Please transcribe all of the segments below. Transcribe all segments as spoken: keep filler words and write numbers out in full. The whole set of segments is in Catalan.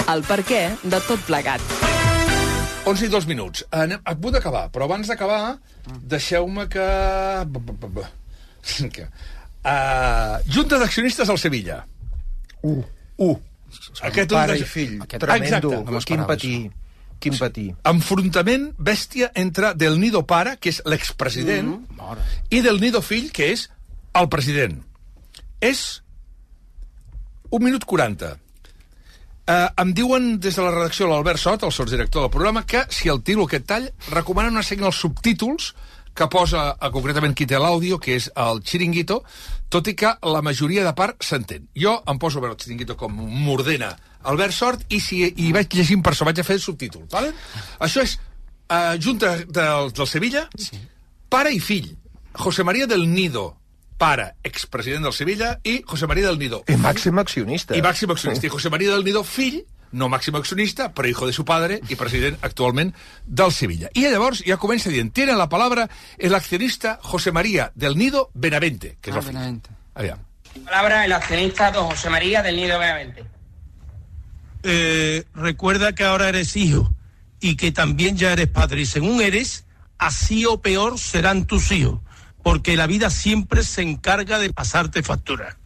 el perquè de tot plegat. onze i dos minuts. Anem a punt d'acabar, però abans d'acabar, deixeu-me que... que... Uh, Junta d'accionistes al Sevilla. Uh. Uh. Aquest pare i fill. Tremendo. Quin patí. Quin patí. Enfrontament bèstia entre Del Nido pare, que és l'expresident, mm. i Del Nido fill, que és el president. És un minut quaranta. Uh, em diuen des de la redacció l'Albert Sot, el sotsdirector del programa, que si el tiro aquest tall, recomanen una seguir els subtítols que posa uh, concretament qui té l'àudio, que és el Chiringuito, tot i que la majoria de part s'entén. Jo em poso a veure el Chiringuito com m'ordena Albert Sort i si hi vaig llegint per això vaig a fer el subtítol. Vale? Això és uh, Junta del, del Sevilla, sí. Pare i fill. José María del Nido, pare, expresident del Sevilla, i José María del Nido. I màxim accionista. I màxim accionista. I José María del Nido, fill, no màxim accionista, però hijo de su padre i president actualment del Sevilla. I llavors ja comença dient, tiene la palabra el accionista José María del Nido Benavente, que és ah, el fill. Benavente. Aviam. Palabra el accionista don José María del Nido Benavente. Eh, recuerda que ahora eres hijo y que también ya eres padre. Y según eres, así o peor serán tus hijos. Porque la vida siempre se encarga de pasarte factura.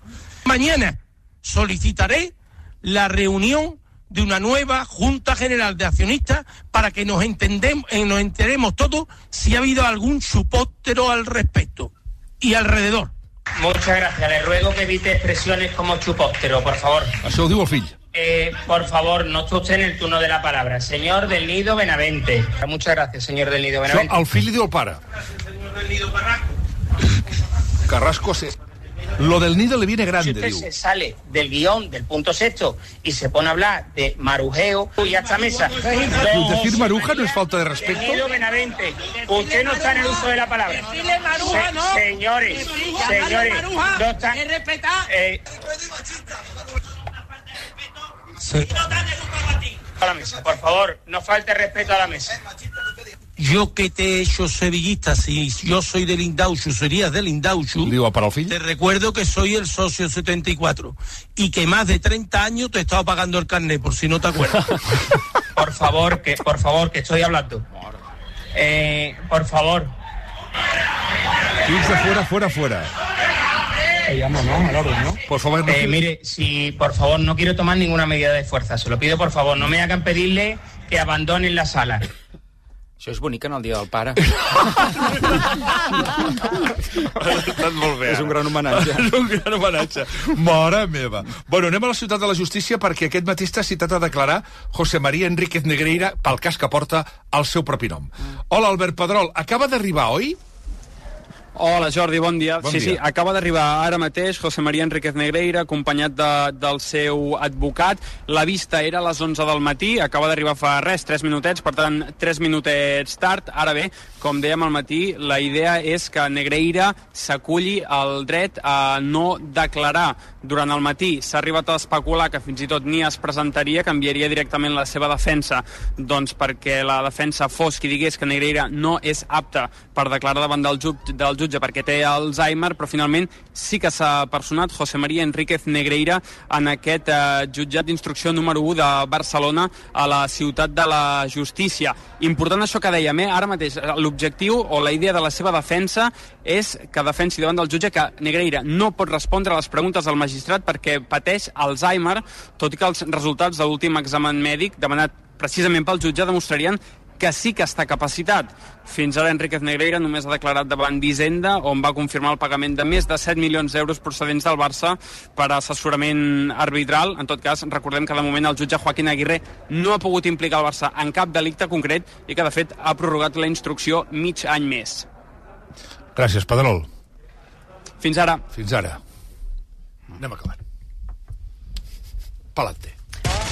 Mañana solicitaré la reunión de una nueva Junta General de Accionistas para que nos, entendemos, eh, nos enteremos todos si ha habido algún chupóptero al respecto y alrededor. Muchas gracias. Le ruego que evite expresiones como chupóptero, por favor. Això ho diu el fill. Eh, por favor, no está usted en el turno de la palabra. Señor del Nido Benavente. Muchas gracias, señor del Nido Benavente. Això el fill li diu al pare. Señor del Nido Barranco. Carrasco, se... lo del Nido le viene grande, si usted diu. se sale del guión del punto sexto y se pone a hablar de marujeo y a esta mesa. Don decir maruja no es falta de respeto. Del Nido Benavente, usted no está en el uso de la palabra. Maruja, Se, no. Señores, señores, no está. Eh, Sí. a la mesa, por favor, no falte respeto a la mesa. Yo que te he hecho sevillista, si yo soy del Indauchu, serías del Indauchu. Digo, para el fill. Te recuerdo que soy el socio setenta y cuatro y que más de treinta años te he estado pagando el carnet, por si no te acuerdas. Por favor, que por favor, que estoy hablando. Eh, por favor. Irse fuera, fuera, fuera. Te llamo, ¿no? Al orden, ¿no? Por favor, no. Eh, mire, si por favor no quiero tomar ninguna medida de fuerza, se lo pido por favor, no me hagan pedirle que abandonen la sala. Això és bonic en el dia del pare. Estat molt bé. És un gran homenatge. És un gran homenatge. Mare meva. Bueno, anem a la ciutat de la justícia perquè aquest matí està citat a declarar José María Enríquez Negreira pel cas que porta el seu propi nom. Hola, Albert Pedrol. Acaba d'arribar, oi? Hola, Jordi, bon dia. Bon sí, dia. sí, acaba d'arribar ara mateix José María Enríquez Negreira, acompanyat de, del seu advocat. La vista era a les onze del matí, acaba d'arribar fa res, tres minutets, per tant, tres minutets tard. Ara bé, com dèiem al matí, la idea és que Negreira s'aculli el dret a no declarar. Durant el matí s'ha arribat a especular que fins i tot ni es presentaria, que enviaria directament la seva defensa, doncs perquè la defensa fos qui digués que Negreira no és apte per declarar davant del jutge, del jutge perquè té Alzheimer, però finalment sí que s'ha personat José María Enríquez Negreira en aquest eh, jutjat d'instrucció número u de Barcelona a la ciutat de la justícia. Important això que dèiem, eh? Ara mateix l'objectiu o la idea de la seva defensa és que defensi davant del jutge que Negreira no pot respondre a les preguntes del magistrat perquè pateix Alzheimer, tot i que els resultats de l'últim examen mèdic demanat precisament pel jutge demostrarien que sí que està capacitat. Fins ara Enríquez Negreira només ha declarat davant d'Hisenda, on va confirmar el pagament de més de set milions d'euros procedents del Barça per assessorament arbitral. En tot cas, recordem que de moment el jutge Joaquín Aguirre no ha pogut implicar el Barça en cap delicte concret i que de fet ha prorrogat la instrucció mig any més. Gràcies, Pedrol. Fins ara. Fins ara. Anem acabant. Palante.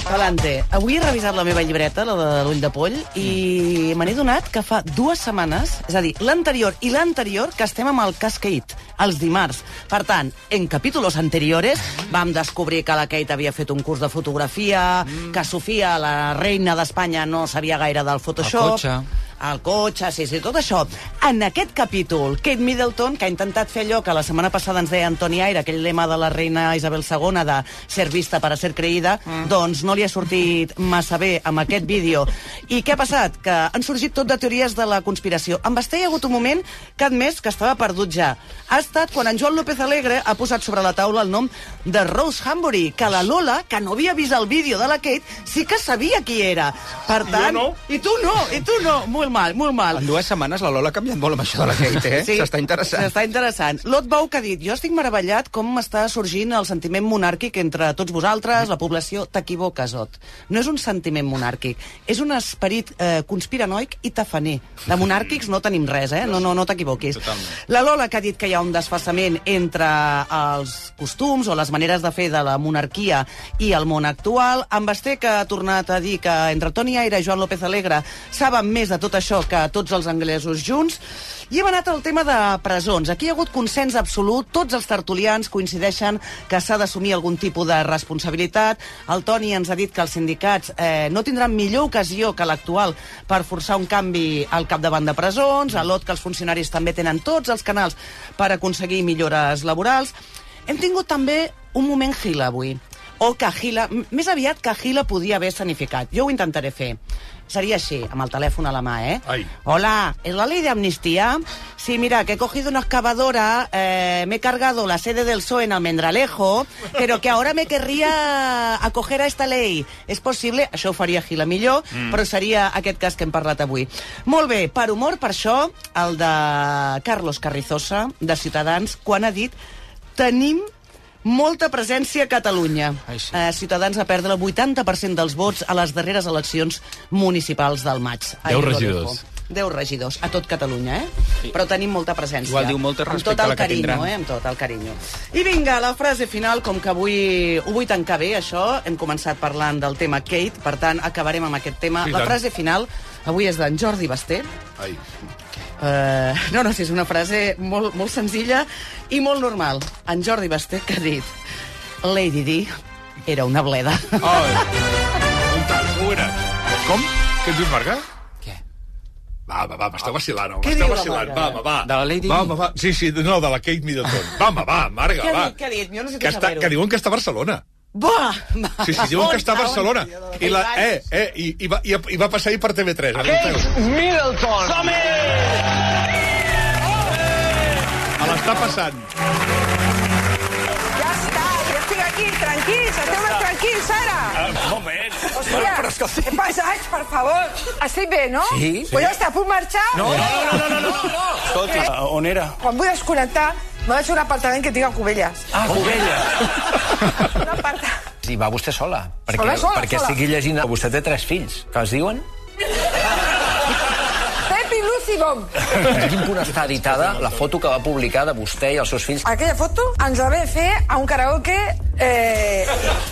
Palante. Avui he revisat la meva llibreta, la de l'ull de poll, i me n'he donat que fa dues setmanes, és a dir, l'anterior i l'anterior, que estem amb el cas Kate, els dimarts. Per tant, en capítolos anteriores vam descobrir que la Kate havia fet un curs de fotografia, mm. que Sofia, la reina d'Espanya, no sabia gaire del Photoshop... El cotxe. el cotxe, sí, sí, tot això. En aquest capítol, Kate Middleton, que ha intentat fer allò que la setmana passada ens deia Antoni Aire, aquell lema de la reina Isabel segona de ser vista para ser creïda, mm. doncs no li ha sortit massa bé amb aquest vídeo. I què ha passat? Que han sorgit tot de teories de la conspiració. En Basté hi ha hagut un moment que ha admès que estava perdut ja. Ha estat quan en Joan López Alegre ha posat sobre la taula el nom de Rose Hambury, que la Lola, que no havia vist el vídeo de la Kate, sí que sabia qui era. Per tant... No. I tu no, i tu no. Molt mal, molt mal. En dues setmanes la Lola ha canviat molt amb això de la Kate, eh? Sí, s'està interessant. S'està interessant. Lot Bou que ha dit, jo estic meravellat com està sorgint el sentiment monàrquic entre tots vosaltres, la població. T'equivoques, Ot. No és un sentiment monàrquic, és un esperit eh, conspiranoic i tafaner. De monàrquics no tenim res, eh? No, no, no t'equivoquis. La Lola que ha dit que hi ha un desfasament entre els costums o les maneres de fer de la monarquia i el món actual. En Basté que ha tornat a dir que entre Toni Aire i Joan López Alegre saben més de tot això que tots els anglesos junts. I hem anat al tema de presons. Aquí hi ha hagut consens absolut, tots els tertulians coincideixen que s'ha d'assumir algun tipus de responsabilitat. El Toni ens ha dit que els sindicats eh, no tindran millor ocasió que l'actual per forçar un canvi al capdavant de presons, a l'Ot que els funcionaris també tenen tots els canals per aconseguir millores laborals. Hem tingut també un moment Gila avui. O que Gila, més aviat que Gila podia haver escenificat. Jo ho intentaré fer. Sería així, amb el teléfono a la mà, ¿eh? Ay. Hola, ¿es la ley de amnistía? Sí, mira, que he cogido una excavadora, eh, me he cargado la sede del P S O E en Almendralejo, pero que ahora me querría acoger a esta ley. És possible? Això ho faria Gila millor, mm. però seria aquest cas que hem parlat avui. Molt bé, per humor, per això, el de Carlos Carrizosa, de Ciutadans, quan ha dit tenim molta presència a Catalunya. Ai, sí. eh, Ciutadans va perdre el vuitanta per cent dels vots a les darreres eleccions municipals del maig. Deu regidors. Deu regidors, a tot Catalunya, eh? Sí. Però tenim molta presència. Igual diu molt respecte a la que carinyo, tindran. Eh? Amb tot el carinyo. I vinga, la frase final, com que avui ho vull tancar bé, això, hem començat parlant del tema Kate, per tant, acabarem amb aquest tema. Sí, la tant. frase final avui és d'en Jordi Basté. Ai. Uh, no, no, sí, és una frase molt, molt senzilla i molt normal. En Jordi Basté que ha dit Lady Di era una bleda. Ai. Un tant, ho era. Com? Què ens dius, Marga? Què? Va, va, va, m'està vacilant, home. Què M'està diu la vacilant. Marga? Va, home, va. De la Lady Va, Di? home, va. Sí, sí, no, de la Kate Middleton. Va, home, va, Marga, Què ha va. dit? Què ha dit? Jo necessito Que, està, saber-ho. que diuen que està a Barcelona. Buah! Sí, sí, diuen que està a Barcelona. I, la, eh, eh, i, i, va, i, i va passar ahir per T V tres. Kate Middleton. Som-hi! A l'està passant. Ja està, ja estic aquí, tranquils, esteu més tranquils, ara. Un moment. Hòstia, Però és que estic... què passats, per favor? Estic bé, no? Sí, sí. Pues ja està, puc marxar? No, no, no, no, no, no. Escolta, on era? Quan vull desconnectar, me vaig a un apartament que tinc a Cubelles. Ah, Covella. Un apartament... I va vostè sola. Perquè, Sola, sola, perquè sola. estigui llegint... Vostè té tres fills. Que es diuen? Pep i Lucy Bom. En quin punt està editada la foto que va publicar de vostè i els seus fills? Aquella foto ens la vam fer a un karaoke eh,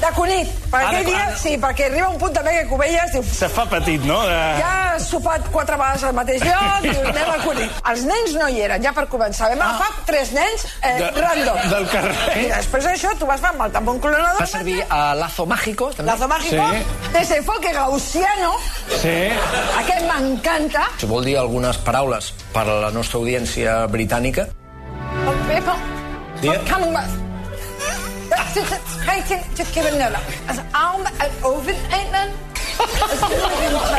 de Cunit. Per Ah, aquell de- dia, sí, perquè arriba un punt també que Cubelles diu... Se fa petit, no? De... Ja has sopat quatre vegades al mateix lloc, diu, anem a Cunit. Els nens no hi eren, ja per començar. Vam agafar tres nens eh, De- random. del carrer. I després d'això tu vas amb el tampón clonador. Va servir a Lazo Mágico, també? Lazo Mágico, Sí. desenfoque gaussiano, Sí. aquest m'encanta. Si vol dir algunes paraules per a la nostra audiència britànica. Oh, people, Yeah. for coming back.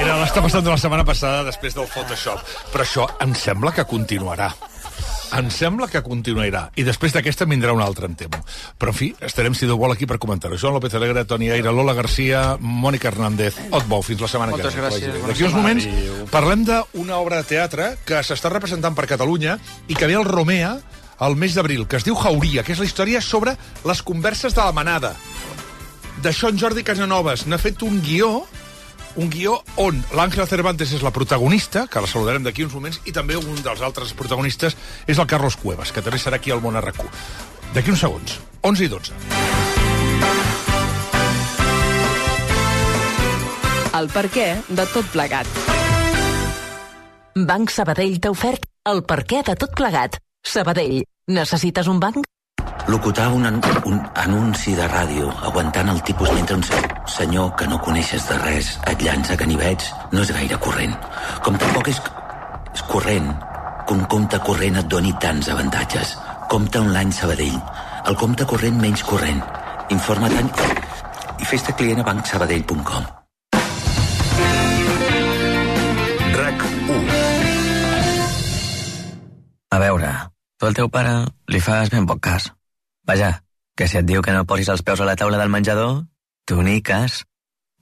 Era l'està passant de la setmana passada després del Photoshop. Però això em sembla que continuarà. Em sembla que continuarà. I després d'aquesta en vindrà un altre, em temo. Però, en fi, estarem, si Déu vol, aquí per comentar-ho. Joan López Alegre, Toni Aire, Lola Garcia, Mònica Hernández, Ot Bou. Fins la setmana Moltes que ve. gràcies. Bona D'aquí uns setmana. moments parlem d'una obra de teatre que s'està representant per Catalunya i que ve al Romea al mes d'abril, que es diu Jauria, que és la història sobre les converses de la manada. D'això en Jordi Casanovas n'ha fet un guió, un guió on l'Àngela Cervantes és la protagonista, que la saludarem d'aquí uns moments, i també un dels altres protagonistes és el Carlos Cuevas, que també serà aquí al Món a RAC u. D'aquí uns segons, onze i dotze. El perquè de tot plegat. Banc Sabadell t'ha ofert el perquè de tot plegat. Sabadell, necessites un banc? Locutar un, an un anunci de ràdio aguantant el tipus mentre un se senyor que no coneixes de res et llança ganivets no és gaire corrent. Com tampoc és És corrent. Que un compte corrent et doni tants avantatges. Compte online Sabadell. El compte corrent menys corrent. Informa't en... i fes-te client a banc sabadell punt com. RAC u. A veure, tu al teu pare li fas ben poc cas. Vaja, que si et diu que no posis els peus a la taula del menjador, tu ni cas.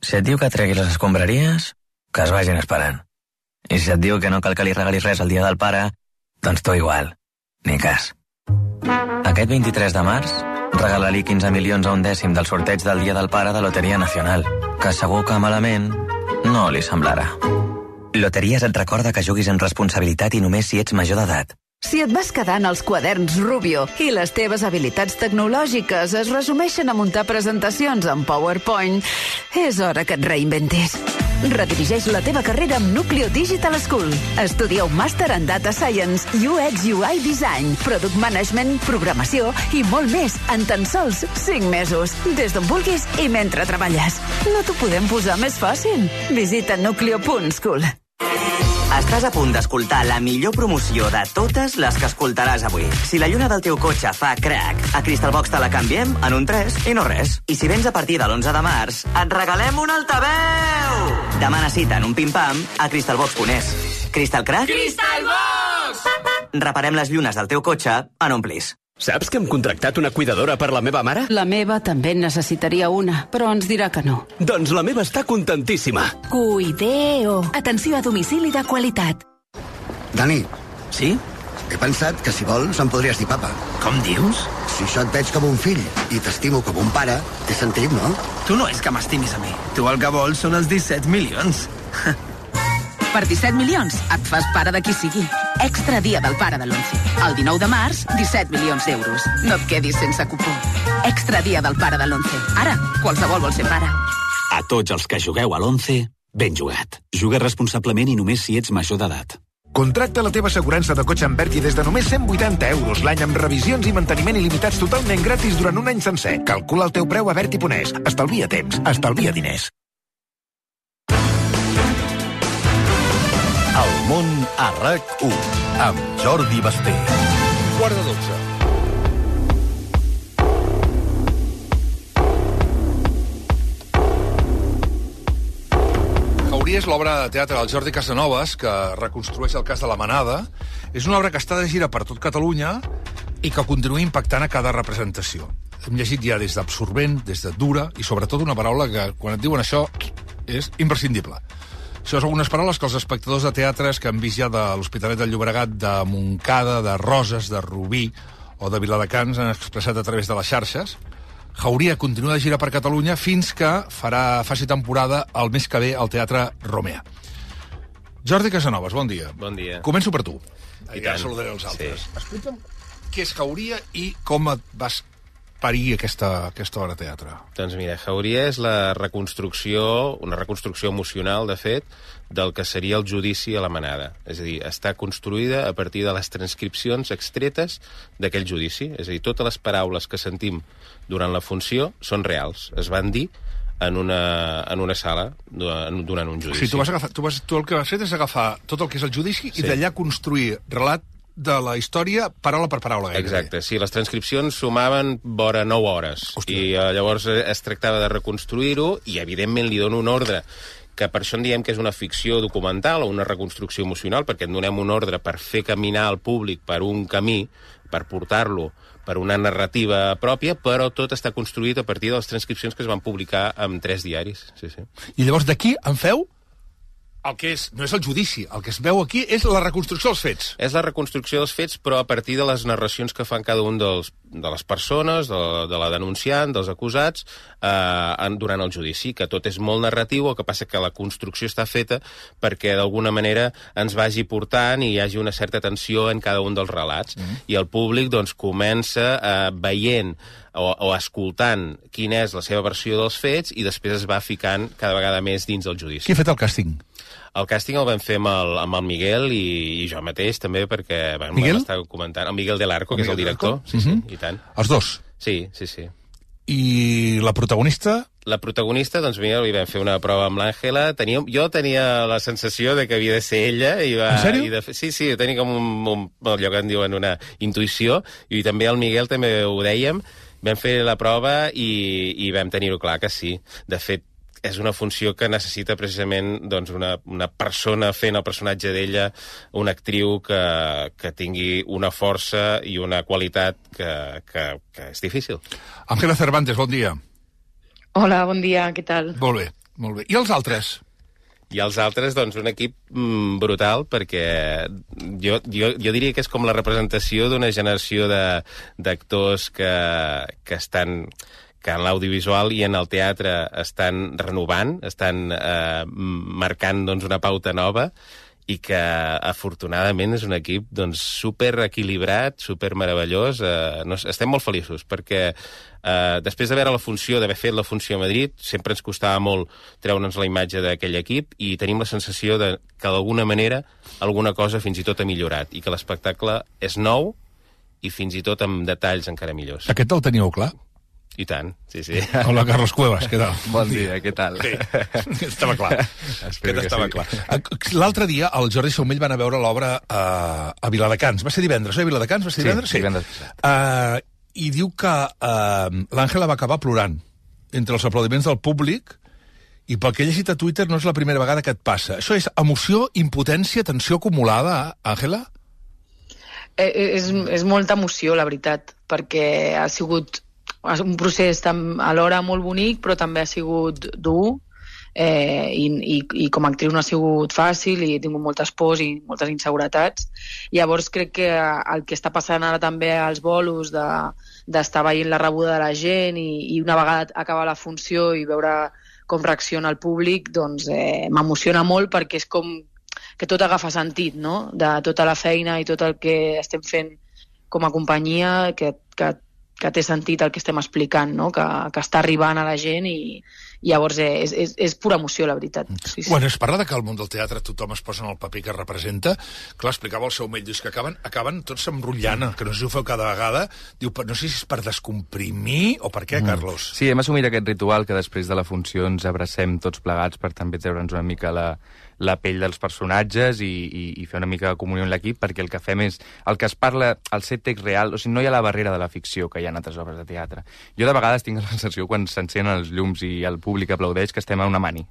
Si et diu que treguis les escombraries, que es vagin esperant. I si et diu que no cal que li regalis res el dia del pare, doncs tu igual, ni cas. Aquest vint-i-tres de març, regala-li quinze milions a un dècim del sorteig del Dia del Pare de Loteria Nacional, que segur que malament no li semblarà. Loteries et recorda que juguis amb responsabilitat i només si ets major d'edat. Si et vas quedant els quaderns Rubio i les teves habilitats tecnològiques es resumeixen a muntar presentacions en PowerPoint, és hora que et reinventis. Redirigeix la teva carrera amb Nucleo Digital School. Estudia un màster en Data Science, U X U I Design, Product Management, Programació i molt més en tan sols cinc mesos. Des d'on vulguis i mentre treballes. No t'ho podem posar més fàcil. Visita nucleo punt school. Estàs a punt d'escoltar la millor promoció de totes les que escoltaràs avui. Si la lluna del teu cotxe fa crac, a Crystalbox te la canviem en un tres i no res. I si vens a partir de l'onze de març, et regalem un altaveu! Demana cita en un pim-pam a crystalbox punt es. Crystal Crack? Crystalbox! Reparem les llunes del teu cotxe en un plis. Saps que hem contractat una cuidadora per la meva mare? La meva també en necessitaria una, però ens dirà que no. Doncs la meva està contentíssima. Cuideo. Atenció a domicili de qualitat. Dani. Sí? He pensat que si vols em podries dir papa. Com dius? Si jo et veig com un fill i t'estimo com un pare, té sentit, no? Tu no és que m'estimis a mi. Tu el que vols són els disset milions. Per disset milions et fas pare de qui sigui. Extra dia del pare de l'onze. El dinou de març, disset milions d'euros. No et quedis sense cupó. Extra dia del pare de l'onze. Ara, qualsevol vol ser pare. A tots els que jugueu a l'onze, ben jugat. Juga responsablement i només si ets major d'edat. Contracta la teva assegurança de cotxe amb Verdi des de només cent vuitanta euros l'any amb revisions i manteniment il·limitats totalment gratis durant un any sencer. Calcula el teu preu a Verdi punt es. Estalvia temps, estalvia diners. El món a RAC u, amb Jordi Basté. Quart de dotze. Jauria és l'obra de teatre del Jordi Casanovas, que reconstrueix el cas de la Manada. És una obra que està de gira per tot Catalunya i que continua impactant a cada representació. Hem llegit ja des d'absorbent, des de dura, i sobretot una paraula que, quan et diuen això, és imprescindible. Això són unes paraules que els espectadors de teatres que han vist ja de l'Hospitalet del Llobregat, de Montcada, de Roses, de Rubí o de Viladecans han expressat a través de les xarxes. Jauria continua de gira per Catalunya fins que farà, faci temporada el mes que ve al Teatre Romea. Jordi Casanovas, bon dia. Bon dia. Començo per tu. I ja tant. saludaré els altres. Sí. Explica'm què és Jauria i com et vas parir aquesta, aquesta obra de teatre. Doncs mira, Jauria és la reconstrucció, una reconstrucció emocional, de fet, del que seria el judici a la Manada. És a dir, està construïda a partir de les transcripcions extretes d'aquell judici. És a dir, totes les paraules que sentim durant la funció són reals. Es van dir en una, en una sala durant un judici. O sigui, tu, vas agafar, tu, vas, tu el que vas fer és agafar tot el que és el judici sí. i d'allà construir relat de la història paraula per paraula. Gairebé. Exacte, sí, les transcripcions sumaven vora nou hores. Hòstia. I eh, llavors es tractava de reconstruir-ho i, evidentment, li dono un ordre que per això en diem que és una ficció documental o una reconstrucció emocional, perquè en donem un ordre per fer caminar el públic per un camí, per portar-lo per una narrativa pròpia, però tot està construït a partir de les transcripcions que es van publicar en tres diaris. Sí, sí. I llavors d'aquí en feu el que és, no és el judici, el que es veu aquí és la reconstrucció dels fets. És la reconstrucció dels fets, però a partir de les narracions que fan cada un dels, de les persones, de, de la denunciant, dels acusats, eh, durant el judici, que tot és molt narratiu, el que passa que la construcció està feta perquè d'alguna manera ens vagi portant i hi hagi una certa tensió en cada un dels relats. Mm. I el públic doncs comença eh, veient o, o escoltant quina és la seva versió dels fets i després es va ficant cada vegada més dins del judici. Qui ha fet el càsting? El càsting el vam fer amb el, amb el Miguel i, i jo mateix també, perquè bueno, Miguel? m'estava comentant. El Miguel del Arco, que és el director. Sí, uh -huh. sí, i tant. Els dos? Sí, sí, sí. I la protagonista? la protagonista, doncs mira, li vam fer una prova amb l'Àngela. Tenia, jo tenia la sensació de que havia de ser ella. I va, en sèrio? I de, sí, sí, tenia com un, un, allò que en diuen una intuïció, i també el Miguel també ho dèiem. Vam fer la prova i, i vam tenir-ho clar que sí. De fet, és una funció que necessita precisament doncs, una, una persona fent el personatge d'ella, una actriu que, que tingui una força i una qualitat que, que, que és difícil. Ángela Cervantes, bon dia. Hola, bon dia, què tal? Molt bé, molt bé. I els altres? I els altres, doncs, un equip mm, brutal, perquè jo, jo, jo diria que és com la representació d'una generació d'actors que, que estan... que en l'audiovisual i en el teatre estan renovant, estan eh, marcant doncs, una pauta nova, i que, afortunadament, és un equip doncs, super equilibrat, super meravellós. Eh, no, estem molt feliços, perquè eh, després de veure la funció, d'haver fet la funció a Madrid, sempre ens costava molt treure'ns la imatge d'aquell equip, i tenim la sensació de que, d'alguna manera, alguna cosa fins i tot ha millorat, i que l'espectacle és nou, i fins i tot amb detalls encara millors. Aquest el teníeu clar? I tant, sí, sí. Hola, Carlos Cuevas, què tal? Bon dia, què tal? Sí, estava clar. Aquest estava sí. clar. L'altre dia el Jordi Saumell van a veure l'obra a, a Viladecans. Va ser divendres, oi? Viladecans? Va ser divendres? Sí, sí. divendres. Uh, I diu que uh, l'Àngela va acabar plorant entre els aplaudiments del públic, i pel que he llegit a Twitter no és la primera vegada que et passa. Això és emoció, impotència, tensió acumulada, Àngela? Eh, és, és molta emoció, la veritat, perquè ha sigut un procés alhora molt bonic, però també ha sigut dur, eh, i, i, i com a actriu no ha sigut fàcil, i he tingut moltes pors i moltes inseguretats. Llavors crec que el que està passant ara també als bolos de, d'estar veient la rebuda de la gent, i, i una vegada acabar la funció i veure com reacciona el públic, doncs eh, m'emociona molt, perquè és com que tot agafa sentit, no? De tota la feina i tot el que estem fent com a companyia, que, que que té sentit el que estem explicant, no? que, que està arribant a la gent, i, i llavors és, és, és pura emoció, la veritat. Sí, sí. Quan es parla de que al món del teatre tothom es posa en el paper que representa, clar, explicava el Saumell, dius que acaben, acaben tots s'emrotllant, que no sé si ho feu cada vegada, diu, no sé si és per descomprimir o per què, Carlos? Sí, hem assumit aquest ritual que després de la funció ens abracem tots plegats per també treure'ns una mica la, la pell dels personatges i, i, i fer una mica de comunió en l'equip, perquè el que fem és el que es parla, el set text real, o sigui, no hi ha la barrera de la ficció que hi ha en altres obres de teatre. Jo de vegades tinc la sensació, quan s'encenen els llums i el públic aplaudeix, que estem a una mani.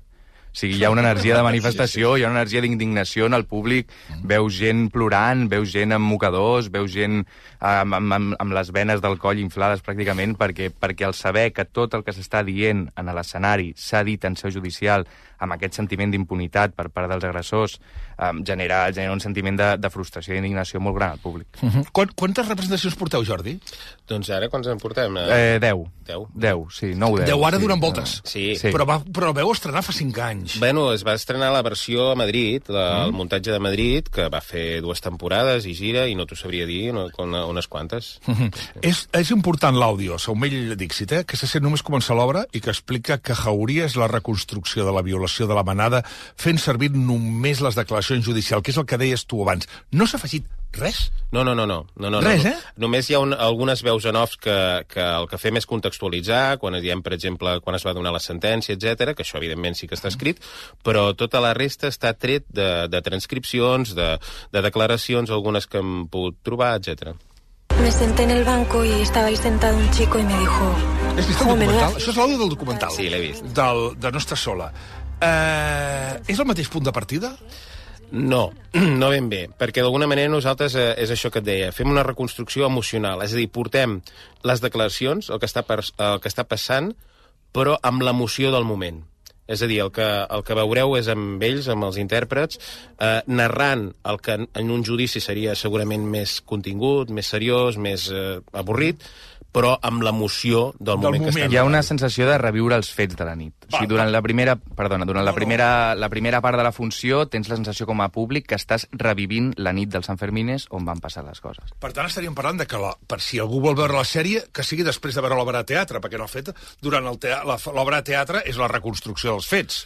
O sigui, hi ha una energia de manifestació, hi ha una energia d'indignació en el públic, veus gent plorant, veus gent amb mocadors, veus gent amb, amb, amb les venes del coll inflades pràcticament, perquè, perquè el saber que tot el que s'està dient en l'escenari s'ha dit en seu judicial, amb aquest sentiment d'impunitat per part dels agressors, eh, genera, genera un sentiment de, de frustració i indignació molt gran al públic. Uh -huh. Quant, quantes representacions porteu, Jordi? Doncs ara, quants en portem? Eh, deu. Deu? Deu, sí, nou deu. Deu ara sí, duren voltes. Sí. sí. Però, va, però veu estrenar fa cinc anys. Bueno, es va estrenar la versió a Madrid, la, mm. el muntatge de Madrid, que va fer dues temporades i gira, i no t'ho sabria dir, no, unes quantes. Uh -huh. és, és important l'àudio, Saumell Dixit, eh, que se sent només començar l'obra i que explica que Jauria és la reconstrucció de la violació de la manada, fent servir només les declaracions judicials, que és el que deies tu abans. No s'ha afegit res? No, no, no. no, no, no res, no. eh? Només hi ha un, algunes veus en off que, que el que fem és contextualitzar, quan diem, per exemple, quan es va donar la sentència, etcètera, que això, evidentment, sí que està escrit, però tota la resta està tret de, de transcripcions, de, de declaracions, algunes que hem pogut trobar, etcètera. Me senté en el banco y estaba ahí sentado un chico y me dijo... Has vist el documental? Això és l'àudio del documental. Sí, l'he vist. Del, de No estàs sola. Eh, és el mateix punt de partida? No, no ben bé, perquè d'alguna manera nosaltres, eh, és això que et deia, fem una reconstrucció emocional, és a dir, portem les declaracions, el que està, per, el que està passant, però amb l'emoció del moment. És a dir, el que, el que veureu és amb ells, amb els intèrprets, eh, narrant el que en un judici seria segurament més contingut, més seriós, més eh, avorrit, però amb l'emoció del, del moment, moment que estem. Hi ha una sensació de reviure els fets de la nit. Va, o sigui, durant la primera, perdona, durant no, la primera, la primera part de la funció tens la sensació com a públic que estàs revivint la nit dels Sanfermines on van passar les coses. Per tant, estaríem parlant de que, la, per si algú vol veure la sèrie, que sigui després de veure l'obra de teatre, perquè en el fet, durant l'obra de teatre és la reconstrucció dels fets.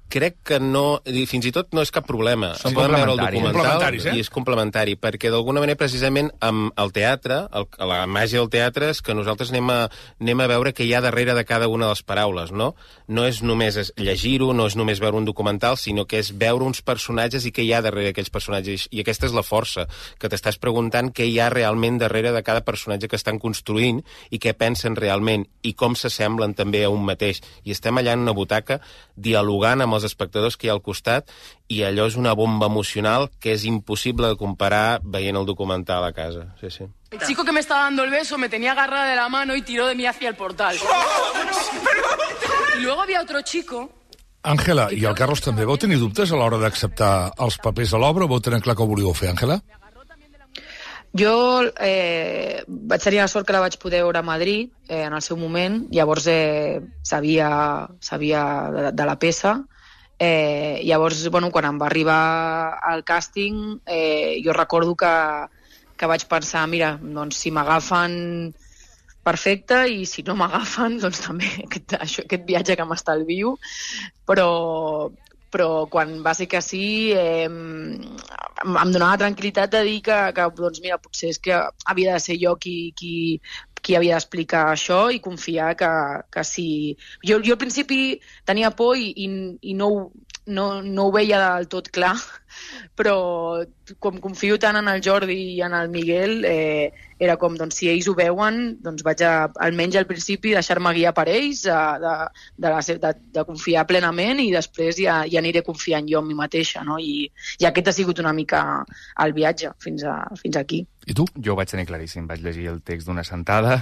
crec que no, fins i tot no és cap problema. Són Poden veure el complementaris. documental Complementaris, eh? i és complementari, perquè d'alguna manera precisament amb el teatre, el, la màgia del teatre és que nosaltres anem a, anem a veure què hi ha darrere de cada una de les paraules, no? No és només llegir-ho, no és només veure un documental, sinó que és veure uns personatges i què hi ha darrere d'aquells personatges. I aquesta és la força, que t'estàs preguntant què hi ha realment darrere de cada personatge que estan construint i què pensen realment i com s'assemblen també a un mateix. I estem allà en una butaca dialogant amb els espectadors que hi ha al costat i allò és una bomba emocional que és impossible de comparar veient el documental a casa. Sí, sí. El chico que me estaba dando el beso me tenía agarrada de la mano y tiró de mí hacia el portal. Y luego había otro chico... Àngela, i el Carlos també, vau tenir dubtes a l'hora d'acceptar els papers a l'obra o vau tenir clar que ho volíeu fer, Àngela? Jo eh, vaig tenir la sort que la vaig poder veure a Madrid eh, en el seu moment, llavors eh, sabia, sabia de, de la peça. Eh, llavors, bueno, quan em va arribar al càsting, eh, jo recordo que, que vaig pensar, mira, doncs si m'agafen perfecte i si no m'agafen, doncs també aquest, això, aquest viatge que m'estalvio, però... però quan va ser que sí eh, em donava tranquil·litat de dir que, que doncs mira, potser és que havia de ser jo qui, qui, qui havia d'explicar això i confiar que, que sí. Jo, jo al principi tenia por i, i, i no, no, no ho veia del tot clar, però com confio tant en el Jordi i en el Miguel, eh, era com, doncs, si ells ho veuen, doncs vaig a, almenys al principi, deixar-me guiar per ells, de, de, de, la, de, de confiar plenament i després ja, ja aniré confiant jo en mi mateixa, no? I, i aquest ha sigut una mica el viatge fins, a, fins aquí. I tu? Jo ho vaig tenir claríssim. Vaig llegir el text d'una sentada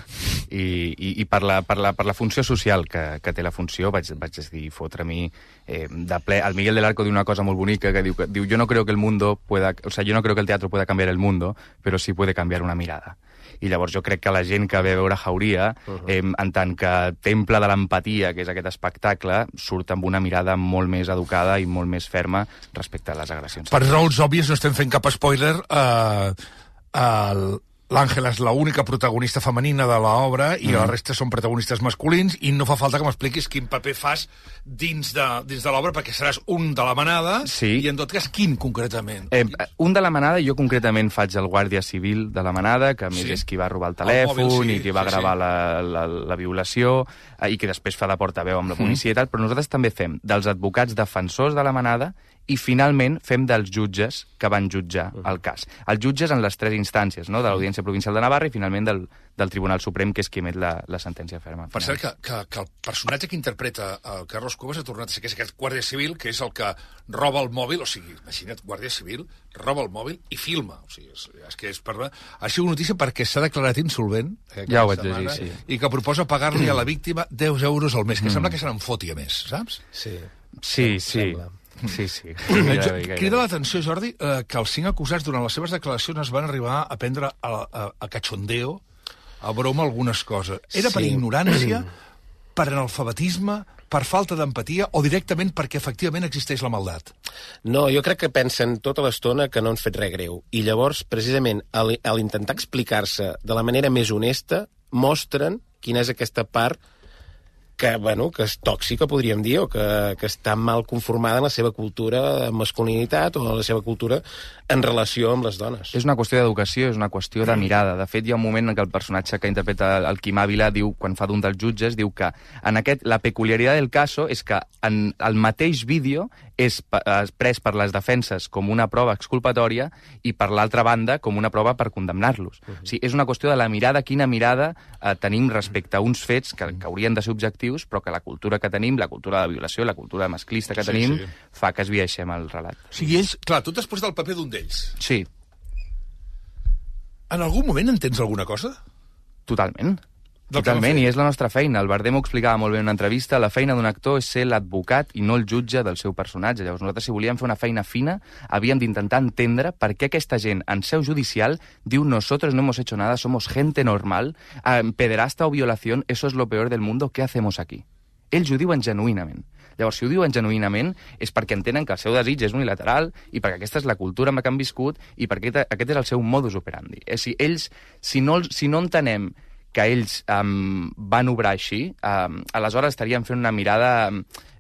i, i, i per, la, per, la, per la funció social que, que té la funció vaig, vaig decidir fotre a mi eh, de ple. El Miguel del Arco diu una cosa molt bonica que diu, que, diu yo no creo que el mundo pueda, o sea, yo no creo que el teatro pueda cambiar el mundo, pero sí puede cambiar una mirada. I llavors jo crec que la gent que ve a veure Jauria, uh -huh. eh, en tant que temple de l'empatia, que és aquest espectacle, surt amb una mirada molt més educada i molt més ferma respecte a les agressions. Per raons òbvies no estem fent cap spoiler. Eh, uh, L'Àngela és l'única protagonista femenina de l'obra i mm. la resta són protagonistes masculins i no fa falta que m'expliquis quin paper fas dins de, dins de l'obra perquè seràs un de la manada sí. i en tot cas quin concretament? Eh, un de la manada, jo concretament faig el guàrdia civil de la manada, que a més sí. és qui va robar el telèfon el mòbil, sí, i qui va sí, gravar sí. La, la, la violació eh, i que després fa de portaveu amb la policia mm. i tal, però nosaltres també fem dels advocats defensors de la manada i finalment fem dels jutges que van jutjar el cas. Els jutges en les tres instàncies, no? De l'Audiència Provincial de Navarra i finalment del, del Tribunal Suprem, que és qui emet la, la sentència ferma. Per cert, que, que, que el personatge que interpreta el Carlos Cuevas ha tornat a ser que és aquest guàrdia civil, que és el que roba el mòbil, o sigui, imagina't, guàrdia civil, roba el mòbil i filma. O sigui, és, és que és per... Ha sigut notícia perquè s'ha declarat insolvent, eh, ja ho vaig llegir, sí. I que proposa pagar-li a la víctima deu euros al mes, que mm. sembla que se n'en foti a més, saps? Sí. Sí, sí. Sí, sí. Crida l'atenció, Jordi, eh, que els cinc acusats durant les seves declaracions es van arribar a prendre a, a, a cachondeo, a broma, algunes coses. Era sí. per ignorància, per analfabetisme, per falta d'empatia o directament perquè efectivament existeix la maldat? No, jo crec que pensen tota l'estona que no han fet res greu. I llavors, precisament, a l'intentar explicar-se de la manera més honesta, mostren quina és aquesta part que, bueno, que és tòxica, podríem dir, o que, que està mal conformada en la seva cultura de masculinitat o en la seva cultura en relació amb les dones. És una qüestió d'educació, és una qüestió de mirada. De fet, hi ha un moment en què el personatge que interpreta el Quim Ávila diu, quan fa d'un dels jutges, diu que en aquest, la peculiaritat del caso és que en el mateix vídeo és pres per les defenses com una prova exculpatòria i per l'altra banda com una prova per condemnar-los. Uh -huh. O sigui, és una qüestió de la mirada, quina mirada eh, tenim respecte a uns fets que, que haurien de ser objectius, però que la cultura que tenim, la cultura de violació, la cultura masclista que sí, tenim, sí. fa que es vieixem el relat. O sigui, ells, clar, tu t'has posat el paper d'un d'ells. Sí. En algun moment entens alguna cosa? Totalment. Totalment, i és la nostra feina. El Bardem ho explicava molt bé en una entrevista. La feina d'un actor és ser l'advocat i no el jutge del seu personatge. Llavors, nosaltres, si volíem fer una feina fina, havíem d'intentar entendre per què aquesta gent, en seu judicial, diu nosotros no hemos hecho nada, somos gente normal, eh, pederasta o violación, eso es lo peor del mundo, ¿qué hacemos aquí? Ells ho diuen genuïnament. Llavors, si ho diuen genuïnament, és perquè entenen que el seu desig és unilateral i perquè aquesta és la cultura amb la que han viscut i perquè aquest és el seu modus operandi. És a dir, ells, si no, si no entenem que ells um, van obrar així, um, aleshores estaríem fent una mirada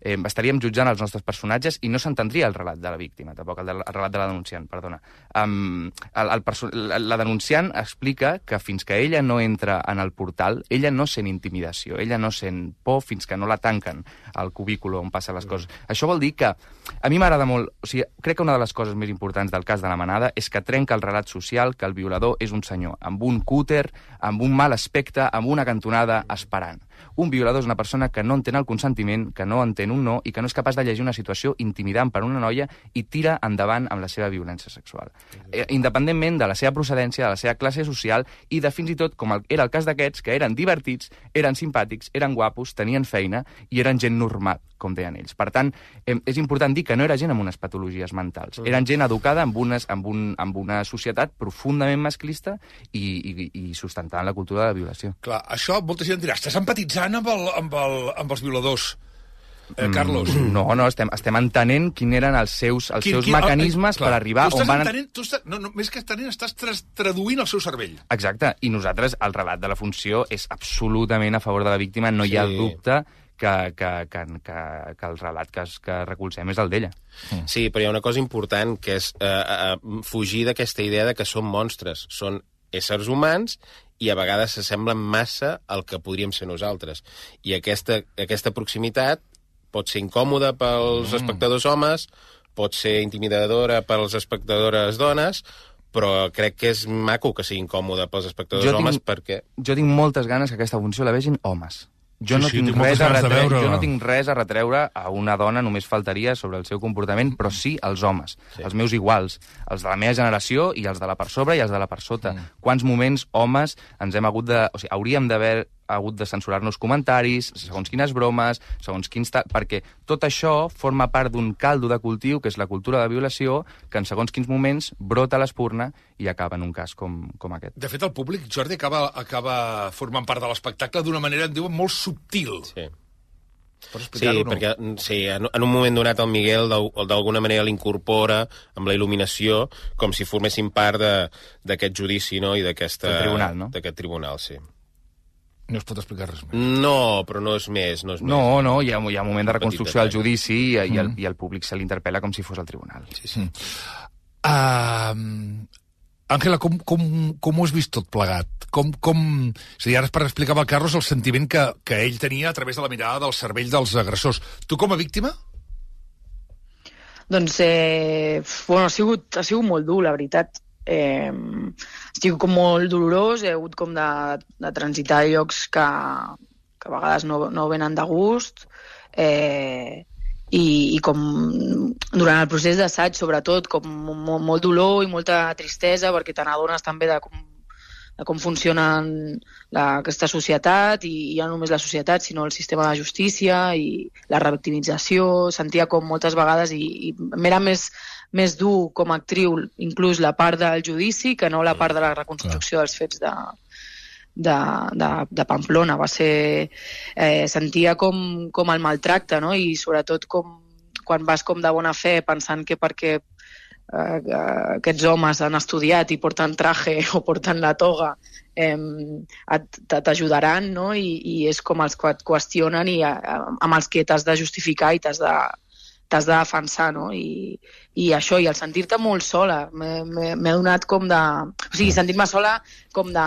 eh, estaríem jutjant els nostres personatges i no s'entendria el relat de la víctima, tampoc el, de, el relat de la denunciant, perdona. Um, el, el perso la, la denunciant explica que fins que ella no entra en el portal, ella no sent intimidació, ella no sent por fins que no la tanquen al cubículo on passen les coses. Mm. Això vol dir que a mi m'agrada molt... O sigui, crec que una de les coses més importants del cas de la Manada és que trenca el relat social que el violador és un senyor, amb un cúter, amb un mal aspecte, amb una cantonada, esperant. Un violador és una persona que no entén el consentiment, que no entén un no i que no és capaç de llegir una situació intimidant per una noia i tira endavant amb la seva violència sexual. Eh, independentment de la seva procedència, de la seva classe social i de fins i tot, com el, era el cas d'aquests, que eren divertits, eren simpàtics, eren guapos, tenien feina i eren gent normal, com deien ells. Per tant, eh, és important dir que no era gent amb unes patologies mentals. Eren gent educada amb, unes, amb, un, amb una societat profundament masclista i, i, i sustentant la cultura de la violació. Clar, això molta gent dirà, estàs empatitzant amb, el, amb, el, amb els violadors, eh, Carlos? Mm, no, no, estem, estem entenent quins eren els seus, els quin, seus quin, mecanismes eh, per arribar on van... Entenent, tu estàs, no, no, més que entenent, estàs tra traduint el seu cervell. Exacte, i nosaltres, el relat de la funció és absolutament a favor de la víctima, no sí. hi ha dubte que, que, que, que, que el relat que, es, que recolzem és el d'ella. Sí, però hi ha una cosa important, que és eh, eh, fugir d'aquesta idea de que són monstres. Són éssers humans i a vegades s'assemblen massa al que podríem ser nosaltres. I aquesta, aquesta proximitat pot ser incòmoda pels mm. espectadors homes, pot ser intimidadora pels espectadores dones, però crec que és maco que sigui incòmoda pels espectadors jo homes tinc, perquè... Jo tinc moltes ganes que aquesta funció la vegin homes. Jo, sí, no sí, tinc tinc res a retreure, jo no tinc res a retreure a una dona, només faltaria sobre el seu comportament, però sí als homes, sí. els meus iguals, els de la meva generació i els de la per sobre i els de la per sota. Mm. Quants moments homes ens hem hagut de... O sigui, hauríem d'haver hagut de censurar-nos comentaris, segons quines bromes, segons quins... Perquè tot això forma part d'un caldo de cultiu, que és la cultura de violació, que en segons quins moments brota a l'espurna i acaba en un cas com, com aquest. De fet, el públic, Jordi, acaba, acaba formant part de l'espectacle d'una manera, en diuen, molt subtil. Sí. Sí, no? perquè sí, en, en un moment donat el Miguel d'alguna manera l'incorpora amb la il·luminació com si formessin part d'aquest judici, no? I d'aquest tribunal, no? D'aquest tribunal, sí. No es pot explicar res més. No, però no és més. No, és no, més. no hi, ha, hi ha un moment de reconstrucció del judici i, i, el, i el públic se l'interpel·la com si fos el tribunal. Sí, sí. Uh, Àngela, com, com, com ho has vist tot plegat? Com, com... És a dir, ara per explicar al Carlos el sentiment que, que ell tenia a través de la mirada del cervell dels agressors. Tu com a víctima? Doncs, eh, bueno, ha sigut, ha sigut molt dur, la veritat. Eh, estic com molt dolorós, he hagut com de, de transitar llocs que, que a vegades no, no venen de gust, eh, i, i com durant el procés d'assaig, sobretot, com molt, molt dolor i molta tristesa, perquè te n'adones també de com, de com funciona la, aquesta societat, i, i ja no només la societat, sinó el sistema de justícia i la revictimització. Sentia com moltes vegades, i, i m'era més més dur com a actriu, inclús la part del judici, que no la part de la reconstrucció dels fets de, de, de, de Pamplona. Va ser... Eh, sentia com, com el maltracte, no? I sobretot com quan vas com de bona fe pensant que perquè eh, aquests homes han estudiat i porten traje o porten la toga eh, t'ajudaran, no? I, i és com els que et qüestionen i eh, amb els que t'has de justificar i t'has de t'has de defensar, no? I, i això, i el sentir-te molt sola, m'he donat com de... O sigui, sentir-me sola com de...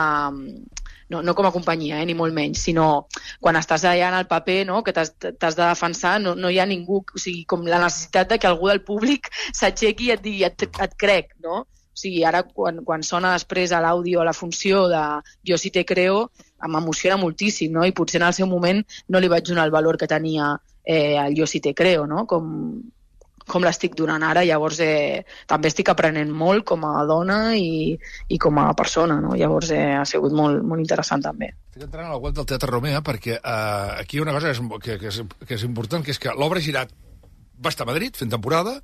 No, no com a companyia, eh, ni molt menys, sinó quan estàs allà en el paper, no?, que t'has de defensar, no, no hi ha ningú... O sigui, com la necessitat de que algú del públic s'aixequi i et digui, et, et crec, no? O sigui, ara, quan, quan sona després a l'àudio, a la funció de Jo sí te creo, m'emociona moltíssim, no? I potser en el seu moment no li vaig donar el valor que tenia eh, el Jo sí te creo, no? Com, com l'estic donant ara. Llavors eh, també estic aprenent molt com a dona i, i com a persona, no? Llavors eh, ha sigut molt, molt interessant també. Estic entrant a la web del Teatre Romea perquè eh, aquí hi ha una cosa que és, que, que, és, que és important, que és que l'obra Girat va estar a Madrid fent temporada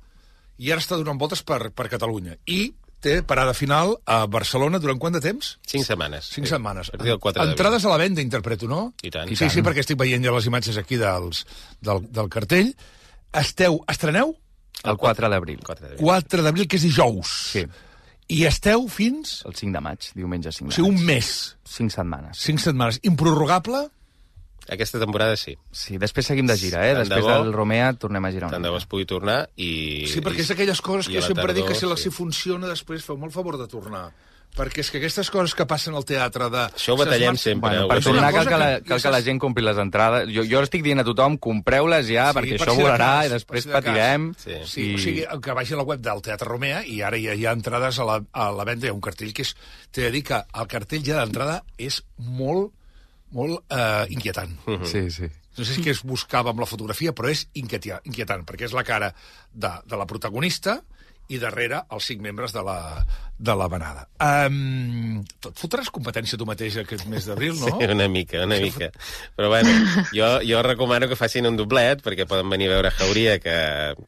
i ara està donant voltes per, per Catalunya. I té parada final a Barcelona durant quant de temps? Cinc setmanes. Cinc sí. setmanes. quatre Entrades a la venda, interpreto, no? I tant. Sí, sí, perquè estic veient ja les imatges aquí dels, del, del cartell. Esteu, estreneu? El quatre d'abril. quatre d'abril, que és dijous. Sí. I esteu fins... El cinc de maig, diumenge cinc de maig. O sigui, un mes. Cinc setmanes. Cinc setmanes. Improrrogable? Aquesta temporada sí. Sí, després seguim de gira, eh? Tant Després de bo, del Romea tornem a girar una tant de bo es pugui tornar i... Sí, perquè és aquelles coses i que a la sempre tardor, dic que si, la, sí. si funciona després feu molt favor de tornar. Perquè és que aquestes coses que passen al teatre de... Això ho batallem sempre. Bueno, eh? per Ho tornar batallem. cal que, la, que- cal que la gent compri les entrades. Jo, jo estic dient a tothom, compreu-les ja, Sí, perquè per això si de volarà cas, i per després si de cas. patirem. Sí. Sí, i... o sigui, que vagi a la web del Teatre Romea i ara ja hi ha entrades a la, a la venda. Hi ha un cartell que és... T'he de dir que el cartell ja d'entrada és molt, molt eh, inquietant. Uh -huh. Sí, sí. No sé si què es buscava amb la fotografia, però és inquietant, inquietant perquè és la cara de, de la protagonista i darrere els cinc membres de la, de la manada. Um, tot fotràs competència tu mateix aquest mes d'abril, no? Sí, una mica, una mica. Però bueno, jo, jo recomano que facin un doblet, perquè poden venir a veure Jauria, que,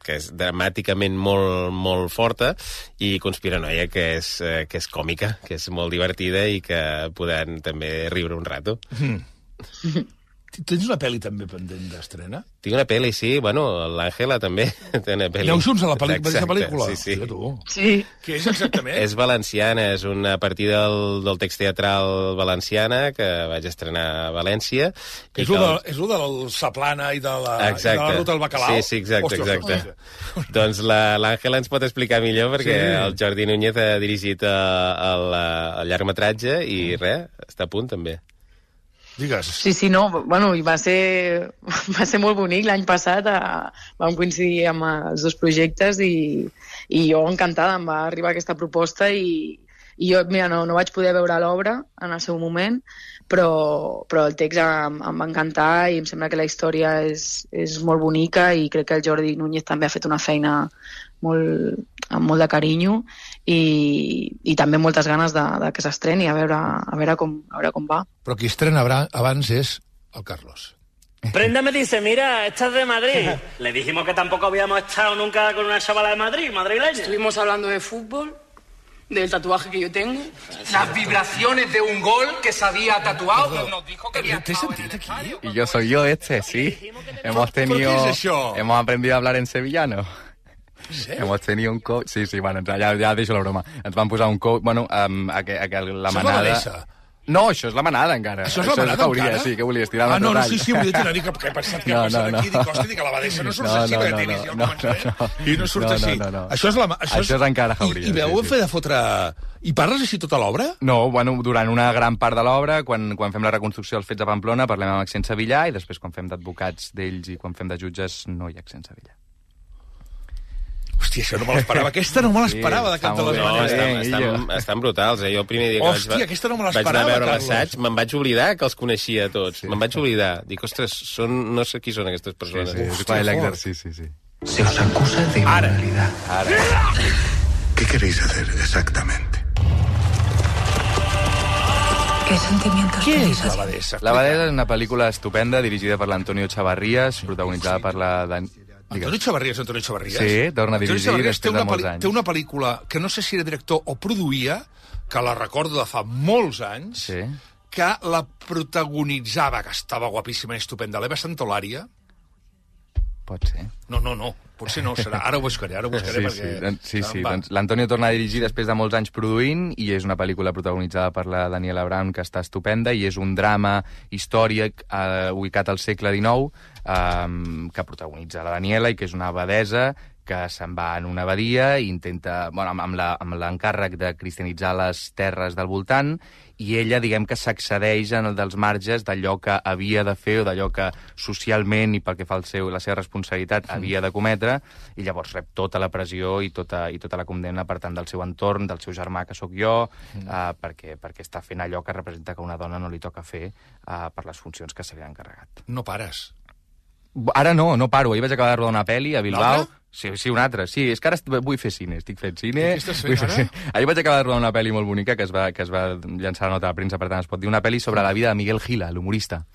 que és dramàticament molt, molt forta, i Conspiranoia, que és, eh, que és còmica, que és molt divertida i que podran també riure un rato. Mm. Tens una pel·li també pendent d'estrena? Tinc una pel·li, sí, bueno, l'Àngela també té una pel·li. Aneu junts a la pel·li- Exacte, a la pel·lícula? Sí, sí. Hòstia, tu. Sí. Què és exactament? És valenciana, és una partir del, del text teatral valenciana que vaig estrenar a València. i És que el, de, el- és el del Saplana i de la, Exacte. i de la ruta del bacalao? Sí, sí, exacte, Ostres, exacte. ostres. Doncs la- l'Àngela ens pot explicar millor, perquè Sí. el Jordi Núñez ha dirigit eh, el, eh, el llargmetratge i res, està a punt també. Digues. Sí, sí, no, bueno, i va ser, va ser molt bonic. L'any passat a, vam coincidir amb els dos projectes i, i jo encantada, em va arribar aquesta proposta i, i jo, mira, no, no vaig poder veure l'obra en el seu moment, però, però el text em, em va encantar i em sembla que la història és, és molt bonica i crec que el Jordi Núñez també ha fet una feina molt, amb molt de carinyo i, i també moltes ganes de, de que s'estreni, a veure, a, veure com, a veure com va. Però qui estrena abra- abans és el Carlos. Prenda me dice, mira, esta es de Madrid. Le dijimos que tampoco habíamos estado nunca con una chavala de Madrid, madrileña. Estuvimos hablando de fútbol, del tatuaje que yo tengo. Las vibraciones de un gol que se había tatuado. Nos dijo que había estado en el estadio. Y yo soy yo este, sí. Hemos tenido... ¿Por qué es eso? Hemos aprendido a hablar en sevillano. Sí? Hemos tenido un coach... Sí, sí, bueno, ja, ja deixo la broma. Ens van posar un coach... Bueno, um, a que, a que la Això és la manada... Vanessa. No, això és la manada, encara. Això és la manada, Jauria, encara? sí, que volies tirar Ah, no, no, tall. sí, sí, volia tirar, dic, que he pensat que No, ha passat no, no. aquí, dic, hòstia, dic, a la Badessa no surts No, així, no, perquè no, t'inicia no, al no, començament, no, no. i no surt No, així. no, no, no. Això és, la, això Això és encara Jauria, I, i veu sí, sí. fer de fotre... I parles així tota l'obra? No, bueno, durant una gran part de l'obra, quan, quan fem la reconstrucció dels fets de Pamplona, parlem amb accent sevillà, i després quan fem d'advocats d'ells i quan fem de jutges no hi ha accent sevillà. Hòstia, això no me l'esperava. Aquesta no me l'esperava, de cap de les No, maneres. estan, estan, estan brutals, eh? Jo el primer dia que Hòstia, vaig, aquesta no me vaig anar l'esperava, a veure Carlos. l'assaig, me'n vaig oblidar que els coneixia a tots. Sí. Me'n vaig oblidar. Dic, ostres, són, no sé qui són aquestes persones. Sí, sí, és quan l'exercici, sí. Se os acusa de inmoralidad. Ara. ¿Qué queréis hacer exactamente? ¿Qué sentimientos Què tenéis és la hacia- Badessa? La Badessa és una pel·lícula estupenda dirigida per l'Antonio Chavarrías, protagonitzada per la... Dan... Antonio Chavarrías, Antonio Chavarrías. Sí, torna a Antonio dirigir Chavarrías té després de una molts pel·li- anys. Té una pel·lícula que no sé si era director o produïa, que la recordo de fa molts anys, Sí. que la protagonitzava, que estava guapíssima i estupenda, l'Eva Santolària. Pot ser. No, no, no, potser no serà. Ara ho buscaré, ara ho buscaré Sí, perquè... sí, doncs, sí, sí. Va. Doncs l'Antonio torna a dirigir després de molts anys produint i és una pel·lícula protagonitzada per la Daniela Brown que està estupenda i és un drama històric eh, ubicat al segle dinou eh, que protagonitza la Daniela i que és una abadesa que se'n va en una abadia i intenta, bueno, amb, amb la- amb l'encàrrec de cristianitzar les terres del voltant i ella, diguem que s'accedeix en el dels marges d'allò que havia de fer o d'allò que socialment i pel que fa al seu, la seva responsabilitat havia de cometre i llavors rep tota la pressió i tota, i tota la condemna per tant del seu entorn, del seu germà que sóc jo, mm. uh, perquè, perquè està fent allò que representa que a una dona no li toca fer uh, per les funcions que se li han encarregat. No pares. Ara no, no paro. Ahir vaig acabar de rodar una pel·li a Bilbao. L'altra? Sí, sí, una altra. Sí, és que ara est- vull fer cine, estic fent cine. I què estàs fent Vull fer ara? cine. Ahir vaig acabar de rodar una pel·li molt bonica que es va, que es va llançar a la nota de premsa, per tant es pot dir una pel·li sobre la vida de Miguel Gila, l'humorista.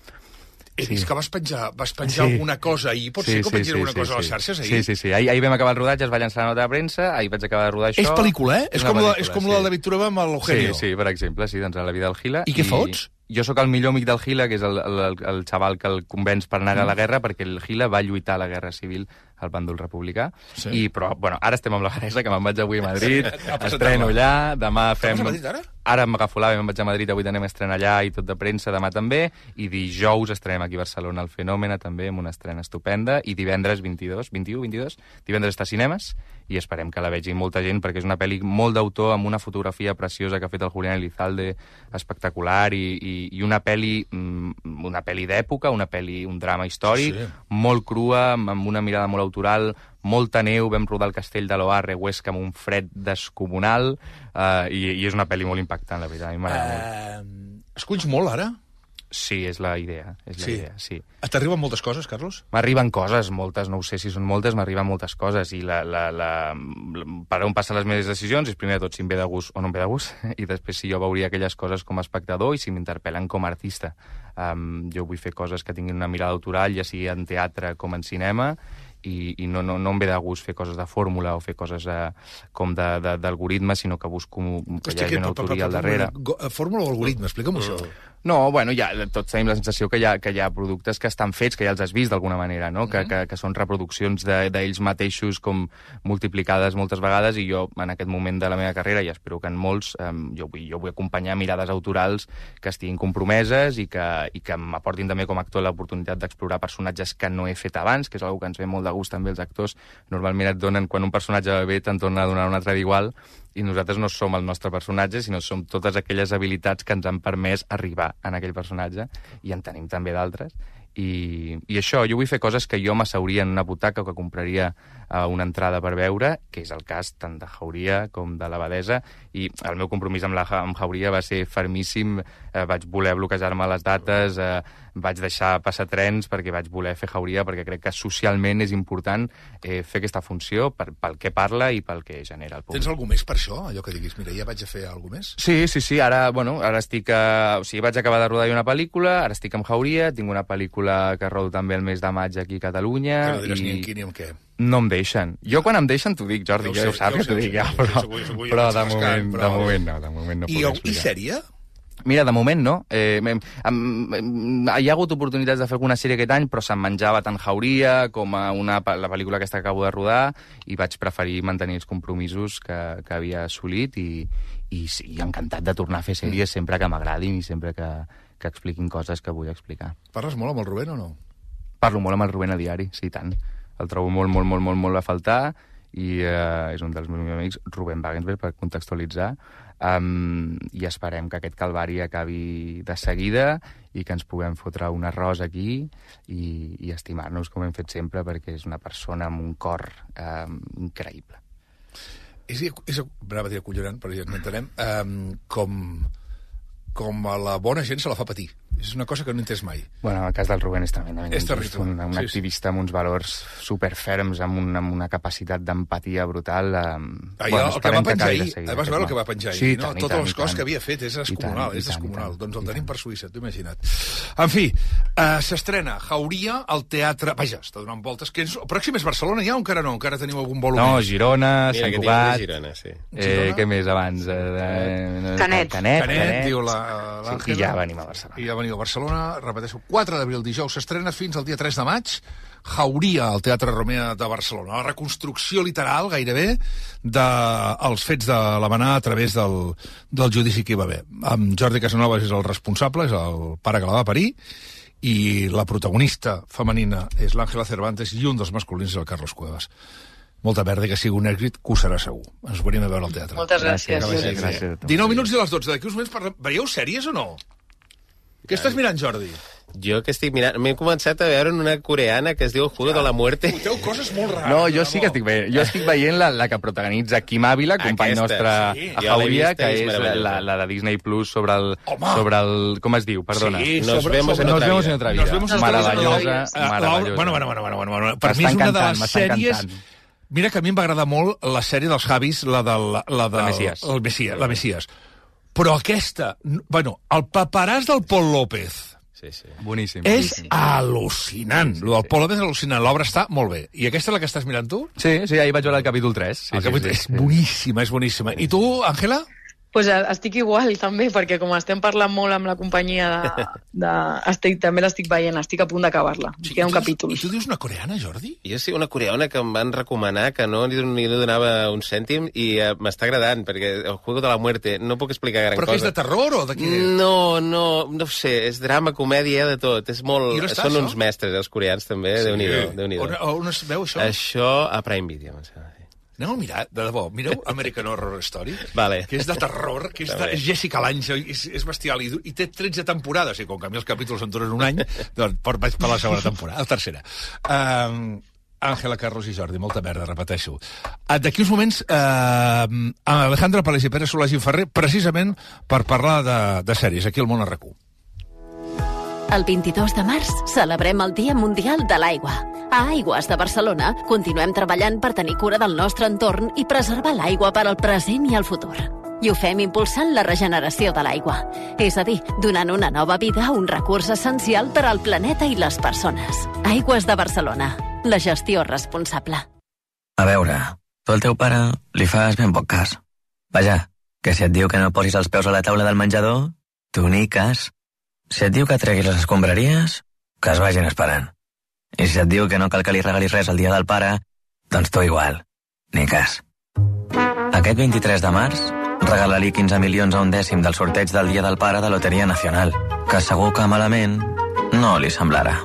He Sí. vist que vas penjar, vas penjar Sí. alguna cosa ahir. Pot ser que pengin alguna cosa a les xarxes ahir? Sí, sí, sí. Ahir, ahir vam acabar el rodatge, es va llançar la nota de premsa, ahir vaig acabar de rodar això. És pel·lícula, eh? És, una com, la, pel·lícula, és com sí. la del David Trueba amb l'Eugenio. Sí, sí, per exemple, sí, doncs a la vida del Gila. I què fots? Jo sóc el millor amic del Gila, que és el, el, el, el xaval que el convenç per anar a la guerra, perquè el Gila va lluitar a la guerra civil al bàndol republicà. Sí. I, però, bueno, ara estem amb la Vanessa, que me'n vaig avui a Madrid, A presentar-la. estreno allà, demà fem... Estàs a Madrid, ara? ara m'agafo l'AVE, me'n vaig a Madrid, avui anem a estrenar allà i tot de premsa, demà també, i dijous estrenem aquí a Barcelona el Fenòmena, també, amb una estrena estupenda, i divendres vint-i-dos, vint-i-u, vint-i-dos, divendres està a cinemes, i esperem que la vegi molta gent, perquè és una pel·li molt d'autor, amb una fotografia preciosa que ha fet el Julián Elizalde, espectacular, i, i, i una pel·li, una pel·li d'època, una pel·li, un drama històric, sí, sí. molt crua, amb una mirada molt autoral, molta neu, vam rodar el castell de l'Oarre, Huesca, amb un fred descomunal, uh, i, i és una pel·li molt impactant, la veritat, a mi m'agrada uh, molt. Esculls molt, ara? Sí, és la idea, és la sí. idea, sí. T'arriben moltes coses, Carlos? M'arriben coses, moltes, no ho sé si són moltes, m'arriben moltes coses, i la, la, la, la, per on passen les meves decisions és primer de tot si em ve de gust o no em ve de gust, i després si jo veuria aquelles coses com a espectador i si m'interpel·len com a artista. Um, jo vull fer coses que tinguin una mirada autoral, ja sigui en teatre com en cinema, i, i no, no, no em ve de gust fer coses de fórmula o fer coses eh, com d'algoritme, sinó que busco que hi hagi una autoria al darrere. Fórmula o algoritme? Explica'm això. No, bueno, ja, tots tenim la sensació que hi, ha, que hi ha productes que estan fets, que ja els has vist d'alguna manera, no? Que, que, que són reproduccions d'ells de, mateixos com multiplicades moltes vegades, i jo, en aquest moment de la meva carrera, i espero que en molts, eh, jo, vull, jo vull acompanyar mirades autorals que estiguin compromeses i que, i que m'aportin també com a actor l'oportunitat d'explorar personatges que no he fet abans, que és una que ens ve molt de gust també els actors. Normalment et donen, quan un personatge va bé, te'n torna a donar un altre d'igual, i nosaltres no som el nostre personatge, sinó som totes aquelles habilitats que ens han permès arribar en aquell personatge, i en tenim també d'altres. I, I això, jo vull fer coses que jo m'asseuria en una butaca o que compraria uh, una entrada per veure, que és el cas tant de Jauria com de l'Abadesa, i el meu compromís amb, la, amb Jauria va ser fermíssim, uh, vaig voler bloquejar-me les dates, uh, vaig deixar passar trens perquè vaig voler fer Jauria, perquè crec que socialment és important eh, fer aquesta funció per, pel que parla i pel que genera el públic. Tens algú més per això? Allò que diguis, mira, ja vaig a fer alguna més? Sí, sí, sí, ara, bueno, ara estic a... O sigui, vaig acabar de rodar una pel·lícula, ara estic amb Jauria, tinc una pel·lícula que rodo també el mes de maig aquí a Catalunya. Que no diràs i... ni en qui ni en què. No em deixen. Jo quan em deixen t'ho dic, Jordi, ja ho saps que t'ho dic ja, però, però de moment, de moment no, de moment no puc explicar. I sèrie? Mira, de moment no. Eh, em, em, hi ha hagut oportunitats de fer alguna sèrie aquest any, però se'm menjava tant Jauria com a una, la pel·lícula aquesta que acabo de rodar, i vaig preferir mantenir els compromisos que, que havia assolit, i, i sí, encantat de tornar a fer sèries mm. sempre que m'agradin i sempre que, que expliquin coses que vull explicar. Parles molt amb el Rubén o no? Parlo molt amb el Rubén a diari, sí, tant. El trobo molt, molt, molt, molt, molt a faltar, i eh, és un dels meus amics, Rubén Wagensberg, per contextualitzar, um, i esperem que aquest calvari acabi de seguida i que ens puguem fotre un arròs aquí i, i estimar-nos com hem fet sempre, perquè és una persona amb un cor um, increïble. És, és brava a dir acollonant, però ja n'entenem, um, com, com a la bona gent se la fa patir. És una cosa que no he entès mai. Bueno, el cas del Rubén és tremendament és injust. Un, un sí, activista sí. amb uns valors superferms, amb una, amb una capacitat d'empatia brutal. Um, ah, bueno, el que va penjar ahir, vas veure el que va penjar ahir, sí, no? Tant, Totes tant, les coses tant. que havia fet, és descomunal, és descomunal. Doncs el tenim per Suïssa, t'ho imagina't. En fi, uh, s'estrena Jauria al teatre... Vaja, està donant voltes. Que és... Pròxim és Barcelona ja o encara no? Encara teniu algun vol? No, Girona, Mira, Sant Cugat... Girona, sí. Eh, què més abans? Eh, de... Canet. Canet, Canet, Canet. diu l'Àngela. Sí, I ja venim a Barcelona. I ja veniu a Barcelona, repeteixo, quatre d'abril, dijous, s'estrena fins al dia tres de maig, Jauria, al Teatre Romea de Barcelona. La reconstrucció literal, gairebé, dels de, fets de l'Havanà a través del, del judici que hi va haver. Amb Jordi Casanovas és el responsable, és el pare que la va parir, i la protagonista femenina és l'Àngela Cervantes, i un dels masculins és el Carlos Cuevas. Molta merda, que sigui un èxit, que ho serà segur. Ens venim a veure al teatre. Moltes gràcies. gràcies, gràcies. dinou minuts i les dotze. D'aquí uns moments parlem... Veieu sèries o no? Què estàs mirant, Jordi? Jo que estic mirant... M'he començat a veure una coreana que es diu El Juego de la Muerte. Foteu coses molt rares. No, jo sí que estic veient. Jo estic veient la, la que protagonitza Quim Ávila, company Aquesta, nostre sí. a Jauria, que és és la, la de Disney Plus sobre el... Home. sobre el... Com es diu? Perdona. Sí, Nos sobre, vemos sobre, en otra Nos vemos vida. en otra vida. Nos vemos en otra vida. Meravellosa, Uh, meravellosa. Bueno, bueno, bueno, bueno, bueno. Per mi és una de les sèries... Mira que a mi em va agradar molt la sèrie dels Javis, la del... La, del, la Messias. El Messias, la Messias. Però aquesta... Bueno, el paperàs del Pol López... Sí, sí. Boníssim. És boníssim. al·lucinant. Sí, sí, el del Pol López és al·lucinant. L'obra està molt bé. I aquesta és la que estàs mirant tu? Sí, sí, ahir vaig veure el capítol tres. Sí, El capítol sí, és sí, boníssima, és boníssima. I tu, Àngela? Pues estic igual, també, perquè com estem parlant molt amb la companyia de... de estic, també l'estic veient, estic a punt d'acabar-la. Sí, queda un capítol. I tu dius una coreana, Jordi? Jo sí, una coreana que em van recomanar, que no li, li donava un cèntim, i uh, m'està agradant, perquè el Juego de la Muerte, no puc explicar gran Però cosa. Però que és de terror o de què? No, no, no ho sé, és drama, comèdia, de tot. És molt... Són això? Uns mestres, els coreans, també, sí. Déu-n'hi-do. Déu on, on es veu, això? Això a Prime Video, em sembla. Aneu a mirar, de debò, mireu American Horror Story, vale. Que és de terror, que és, de, és Jessica Lange, és, és bestial, i, i té tretze temporades, i com que a mi els capítols en duren un any, doncs vaig per la segona temporada, la tercera. Um, Àngela, Carlos i Jordi, molta merda, repeteixo. D'aquí uns moments, uh, Alejandra Palés i Pere Solàs i Ferrer, precisament per parlar de, de sèries, aquí al Món R Q. El vint-i-dos de març celebrem el Dia Mundial de l'Aigua. A Aigües de Barcelona continuem treballant per tenir cura del nostre entorn i preservar l'aigua per al present i el futur. I ho fem impulsant la regeneració de l'aigua. És a dir, donant una nova vida a un recurs essencial per al planeta i les persones. Aigües de Barcelona. La gestió responsable. A veure, tu al teu pare li fas ben poc cas. Vaja, que si et diu que no posis els peus a la taula del menjador, tu ni cas. Si et diu que treguis les escombraries, que es vagin esperant. I si et diu que no cal que li regalis res el dia del pare, doncs tu igual. Ni cas. Aquest vint-i-tres de març, regala-li quinze milions a un dècim del sorteig del Dia del Pare de Loteria Nacional, que segur que malament no li semblarà.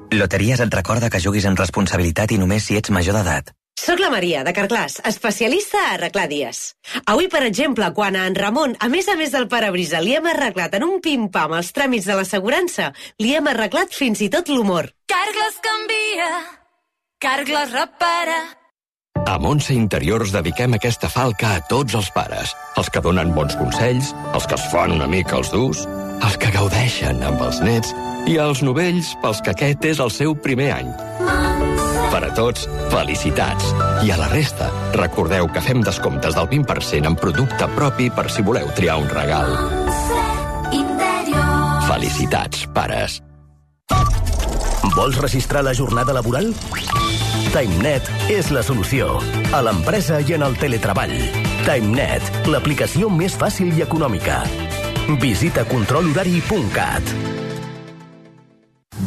Loteries et recorda que juguis amb responsabilitat i només si ets major d'edat. Soc la Maria, de Carglass, especialista a arreglar dies. Avui, per exemple, quan a en Ramon, a més a més del parabrisa, li hem arreglat en un pim-pam els tràmits de l'assegurança, li hem arreglat fins i tot l'humor. Carglass canvia, Carglass repara. A Montse Interiors dediquem aquesta falca a tots els pares. Els que donen bons consells, els que es fan una mica els durs, els que gaudeixen amb els nets i els novells pels que aquest és el seu primer any. Per a tots, felicitats. I a la resta, recordeu que fem descomptes del vint per cent en producte propi per si voleu triar un regal. Felicitats, pares. Vols registrar la jornada laboral? TimeNet és la solució. A l'empresa i en el teletreball. TimeNet, l'aplicació més fàcil i econòmica. Visita control horari punt cat.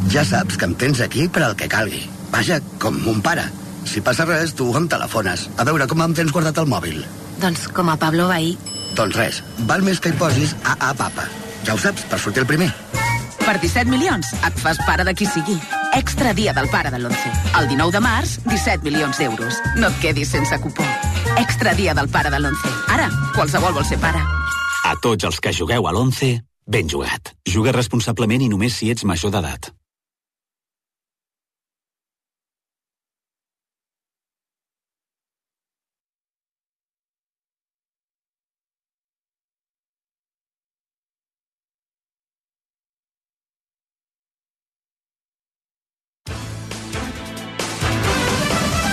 Ja saps que em tens aquí per al que calgui. Vaja, com mon pare. Si passa res, tu em telefones. A veure, com em tens guardat el mòbil? Doncs com a Pablo Bahí. Doncs res, val més que hi posis A A Papa. Ja ho saps, per sortir el primer. Per disset milions et fas pare de qui sigui. Extra dia del pare de l'onze. El dinou de març, disset milions d'euros. No et quedis sense cupó. Extra dia del pare de l'onze. Ara, qualsevol vol ser pare. A tots els que jugueu a l'onze, ben jugat. Juga responsablement i només si ets major d'edat.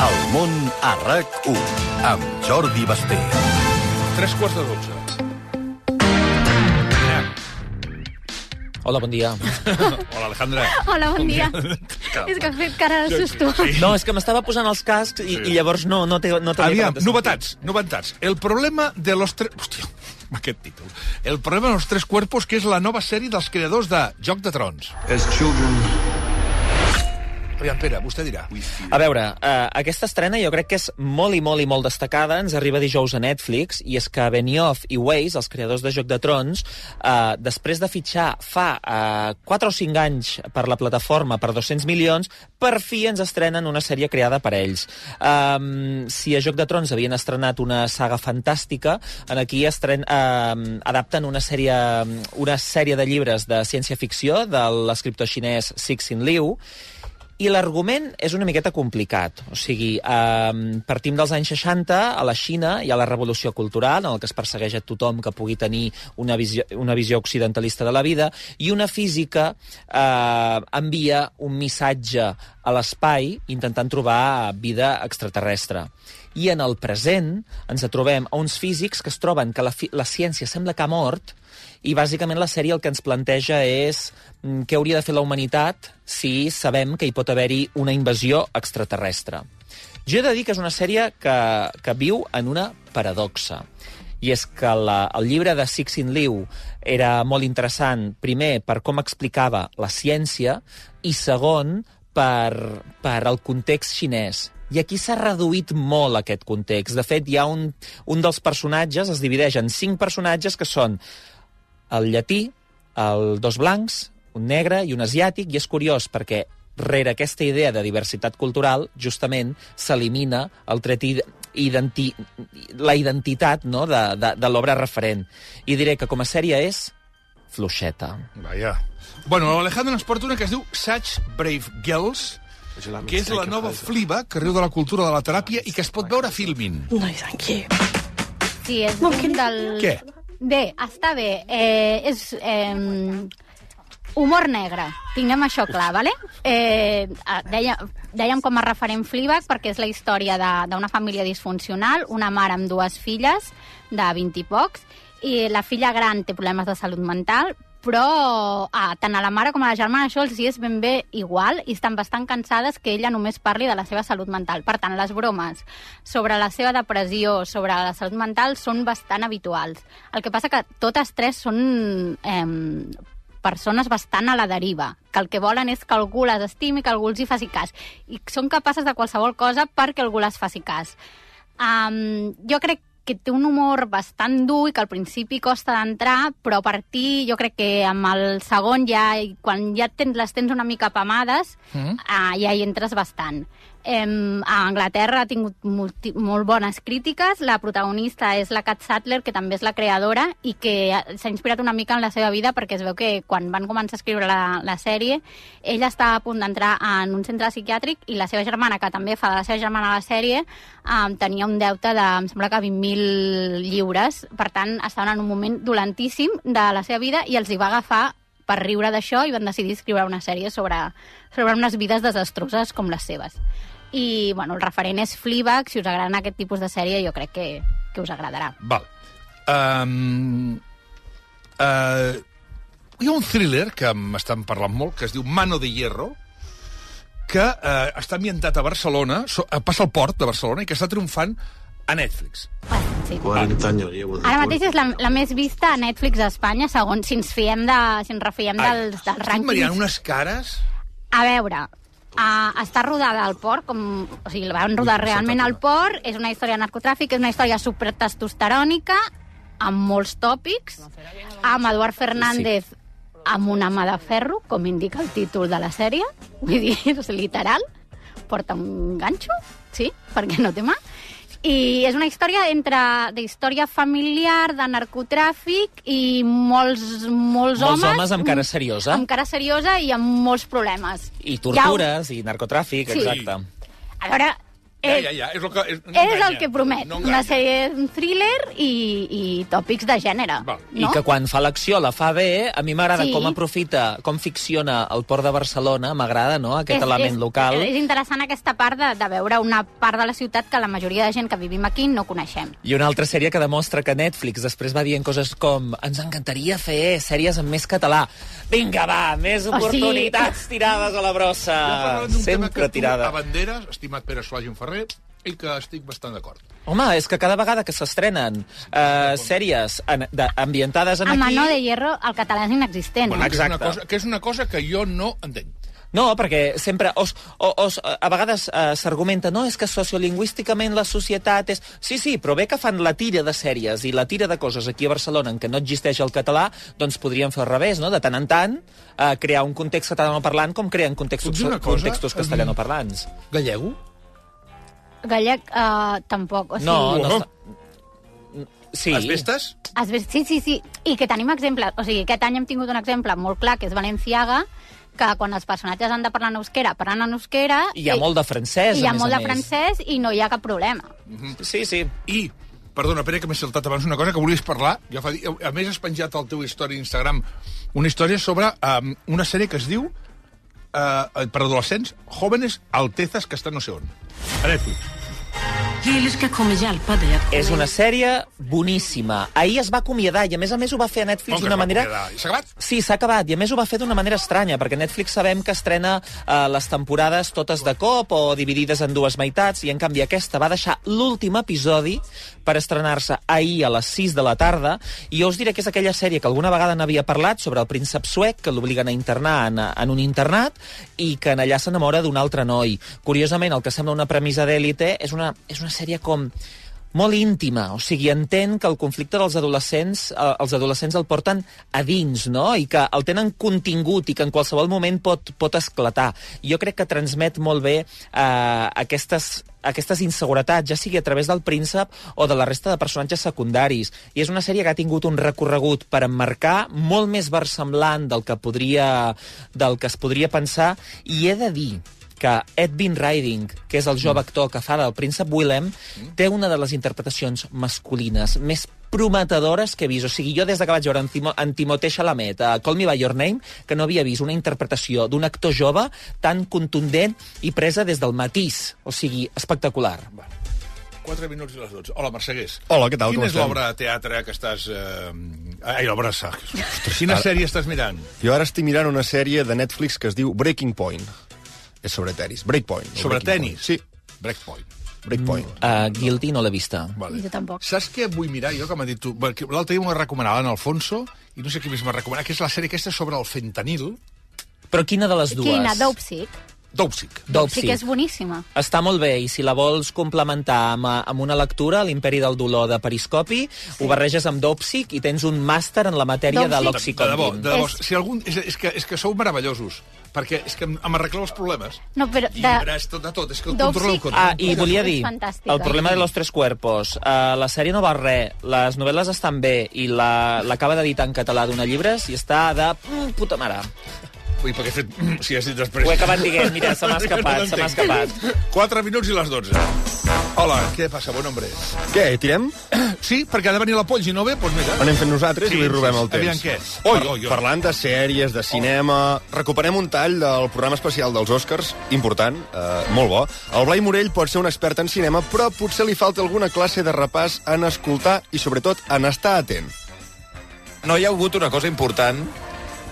El món a RAC u, amb Jordi Basté. Tres quarts de dotze. Hola, bon dia. Hola, Alejandra. Hola, bon dia. És que ha fet cara de susto. No, és que m'estava posant els cascs i, i llavors no, no té... No Aviam, novetats, novetats. El problema de los tres... Hòstia, aquest títol. El problema de los tres cuerpos, que és la nova sèrie dels creadors de Joc de Trons. As children... Aviam, Pere, vostè dirà. A veure, uh, aquesta estrena jo crec que és molt i molt i molt destacada. Ens arriba dijous a Netflix, i és que Benioff i Weiss, els creadors de Joc de Trons, uh, després de fitxar fa uh, quatre o cinc anys per la plataforma per dos-cents milions, per fi ens estrenen una sèrie creada per ells. Um, si a Joc de Trons havien estrenat una saga fantàstica, en aquí estren, uh, adapten una sèrie, una sèrie de llibres de ciència-ficció de l'escriptor xinès Cixin Liu. I l'argument és una miqueta complicat. O sigui, eh, partim dels anys seixanta, a la Xina hi ha la revolució cultural, en el que es persegueix a tothom que pugui tenir una visió, una visió occidentalista de la vida, i una física eh, envia un missatge a l'espai intentant trobar vida extraterrestre. I en el present ens trobem a uns físics que es troben que la, la ciència sembla que ha mort, i bàsicament la sèrie el que ens planteja és què hauria de fer la humanitat si sabem que hi pot haver-hi una invasió extraterrestre. Jo he de dir que és una sèrie que, que viu en una paradoxa. i és que la, el llibre de Cixin Liu era molt interessant, primer, per com explicava la ciència, i segon, per, per el context xinès. I aquí s'ha reduït molt aquest context. De fet, hi ha un, un dels personatges, es divideix en cinc personatges, que són el llatí, el dos blancs, un negre i un asiàtic, i és curiós perquè rere aquesta idea de diversitat cultural, justament, s'elimina el tret identi la identitat, no?, de, de, de l'obra referent. I diré que com a sèrie és fluixeta. Vaja. Bueno, l'Alejandro ens porta una que es diu Such Brave Girls, que és la nova Fleabag, que riu de la cultura de la teràpia i que es pot veure a Filmin. No, thank you. Sí, és un del... Què? Bé, està bé. Eh, és eh, humor negre, tinguem això clar, vale? Eh, deia, dèiem com a referent Fleabag perquè és la història d'una família disfuncional, una mare amb dues filles de vint i pocs, i la filla gran té problemes de salut mental, però ah, tant a la mare com a la germana això els hi és ben bé igual i estan bastant cansades que ella només parli de la seva salut mental. Per tant, les bromes sobre la seva depressió, sobre la salut mental, són bastant habituals. El que passa que totes tres són eh, persones bastant a la deriva, que el que volen és que algú les estimi, que algú els hi faci cas. I són capaces de qualsevol cosa perquè algú les faci cas. Um, jo crec que té un humor bastant dur i que al principi costa d'entrar, però a partir, jo crec que amb el segon ja, quan ja tens, les tens una mica apamades, mm. uh, ja hi entres bastant. Um, a Anglaterra ha tingut multi, molt bones crítiques. La protagonista és la Kat Sattler, que també és la creadora i que s'ha inspirat una mica en la seva vida perquè es veu que quan van començar a escriure la, la sèrie ella estava a punt d'entrar en un centre psiquiàtric i la seva germana, que també fa de la seva germana a la sèrie, um, tenia un deute de, em sembla que vint mil lliures. Per tant, estaven en un moment dolentíssim de la seva vida i els hi va agafar per riure d'això i van decidir escriure una sèrie sobre, sobre unes vides desastroses com les seves. I, bueno, el referent és Fleabag. Si us agraden aquest tipus de sèrie, jo crec que, que us agradarà. Val. Um, uh, hi ha un thriller que m'estan parlant molt, que es diu Mano de Hierro, que uh, està ambientat a Barcelona, so, uh, passa al port de Barcelona, i que està triomfant a Netflix. Sí. quaranta anys llevo. Ara mateix és la, la més vista a Netflix a Espanya, segons si ens fiem de, si ens refiem dels, dels rànquings. Estic mariant unes cares... A veure... Uh, està rodada al port, com, o sigui, la van rodar realment al port, és una història de narcotràfic, és una història supertestosterònica, amb molts tòpics, amb Eduard Fernández sí. amb una mà de ferro, com indica el títol de la sèrie, vull dir, és literal, porta un ganxo, sí, perquè no té mà, i és una història entre d'història familiar, de narcotràfic i molts, molts, molts homes... homes amb cara seriosa. Amb cara seriosa i amb molts problemes. I tortures, ja... i narcotràfic, sí. exacte. A veure... Ja, ja, ja, és el que, és, no és enganya, el que promet, no una sèrie, un thriller i, i tòpics de gènere. No? I que quan fa l'acció la fa bé, a mi m'agrada sí. com aprofita, com ficciona el port de Barcelona, m'agrada, no?, aquest és, element és, local. És interessant aquesta part de, de veure una part de la ciutat que la majoria de gent que vivim aquí no coneixem. I una altra sèrie que demostra que Netflix després va dient coses com ens encantaria fer sèries en més català. Vinga, va, més oportunitats oh, sí. tirades a la brossa. Sempre tirada. A banderes, estimat Pere Solà i Ferrer, i que estic bastant d'acord. Home, és que cada vegada que s'estrenen eh, sèries en, de, ambientades en a aquí... A Mano de Hierro, el català és inexistent. Bueno, eh? que, és una cosa, que és una cosa que jo no entenc. No, perquè sempre os, os, a vegades eh, s'argumenta no, és que sociolingüísticament la societat és... Sí, sí, però bé que fan la tira de sèries i la tira de coses aquí a Barcelona en què no existeix el català, doncs podríem fer al revés, no? De tant en tant, eh, crear un context catalanoparlant com creen contextos, contextos castellanoparlants. Gallego? Gallec, uh, tampoc. O sigui... No, no està... Sí. Asbestes? Asbestes, sí, sí, sí. I que tenim exemples. O sigui, aquest any hem tingut un exemple molt clar, que és Valenciaga, que quan els personatges han de parlar en euskera, parlen en euskera... I hi ha i, molt de francès, i hi ha a més molt a de més. francès i no hi ha cap problema. Mm-hmm. Sí, sí. I, perdona, Pere, que m'he saltat abans una cosa que volies parlar. Ja fa, a més, has penjat al teu història d'Instagram una història sobre um, una sèrie que es diu uh, per adolescents, Jóvenes Altezas, que està no sé on. A Netflix. Eller ska jag komma hjälpa dig att komma És una sèrie boníssima. Ahir es va acomiadar i, a més a més, ho va fer a Netflix d'una manera... S'ha acabat? Sí, s'ha acabat. I, a més, ho va fer d'una manera estranya, perquè Netflix sabem que estrena eh, les temporades totes de cop o dividides en dues meitats, i, en canvi, aquesta va deixar l'últim episodi per estrenar-se ahir a les sis de la tarda, i jo us diré que és aquella sèrie que alguna vegada n'havia parlat sobre el príncep suec, que l'obliguen a internar en, en un internat, i que en allà s'enamora d'un altre noi. Curiosament, el que sembla una premissa d'èlite és una, és una sèrie com molt íntima, o sigui, entén que el conflicte dels adolescents, eh, els adolescents el porten a dins, no?, i que el tenen contingut i que en qualsevol moment pot, pot esclatar. Jo crec que transmet molt bé eh, aquestes aquestes inseguretats, ja sigui a través del príncep o de la resta de personatges secundaris. I és una sèrie que ha tingut un recorregut per emmarcar molt més versemblant del que podria, del que es podria pensar, i he de dir que Ed Bean Riding, que és el jove actor que fa del príncep Willem, té una de les interpretacions masculines més prometedores que he vist. O sigui, jo des que vaig veure en, Timo, en Timothée Chalamet a Call Me By Your Name, que no havia vist una interpretació d'un actor jove tan contundent i presa des del matís. O sigui, espectacular. quatre minuts i les dotze. Hola, Mercegués. Hola, què tal? Quina com és estem? l'obra de teatre que estàs... Eh... Ai, l'obra de sac. Quina Ara- sèrie estàs mirant? Jo ara estic mirant una sèrie de Netflix que es diu Breaking Point. És sobre tenis. Breakpoint. no Sobre Breaking tenis? Point. Sí. Breakpoint. Breakpoint. Uh, Guilty no l'he vista. Vale. Jo tampoc. Saps què vull mirar jo, que m'ha dit tu? Perquè l'altre dia m'ho recomanava en Alfonso, i no sé qui més m'ha recomanat, que és la sèrie aquesta sobre el fentanil. Però quina de les dues? Quina? Dopesick? Dopesick. Dopesick és boníssima. Està molt bé, i si la vols complementar amb, amb una lectura, l'Imperi del dolor de Periscopi, sí. ho barreges amb Dopesick i tens un màster en la matèria de l'Oxycontin. De debò, l'Oxycontin. de debò. Si algun... és, és, que, és que sou meravellosos, perquè és que em arregleu els problemes. No, però... De... Llibres, tot, de tot, és que el Dopesick- control el control. Ah, i volia dir, fantàstica. el problema de los tres cuerpos. Uh, la sèrie no val res, les novel·les estan bé, i la- l'acaba d'editar en català d'una llibres i està de mm, puta mare. Ui, perquè he fet... Si has dit després... Ho he acabat dient, mira, se m'ha escapat, se m'ha escapat. quatre minuts i les dotze. Hola, què passa, bon hombre? Què, tirem? Sí, perquè ha de venir la Poll, i no ve, doncs mira. Anem fent nosaltres Sí, i li robem sí, el temps. aviam què. Oi, Oi, oi, oi. parlant de sèries, de cinema... Recuperem un tall del programa especial dels Oscars, important, eh, molt bo. El Blai Morell pot ser un expert en cinema, però potser li falta alguna classe de repàs en escoltar i, sobretot, en estar atent. No hi ha hagut una cosa important,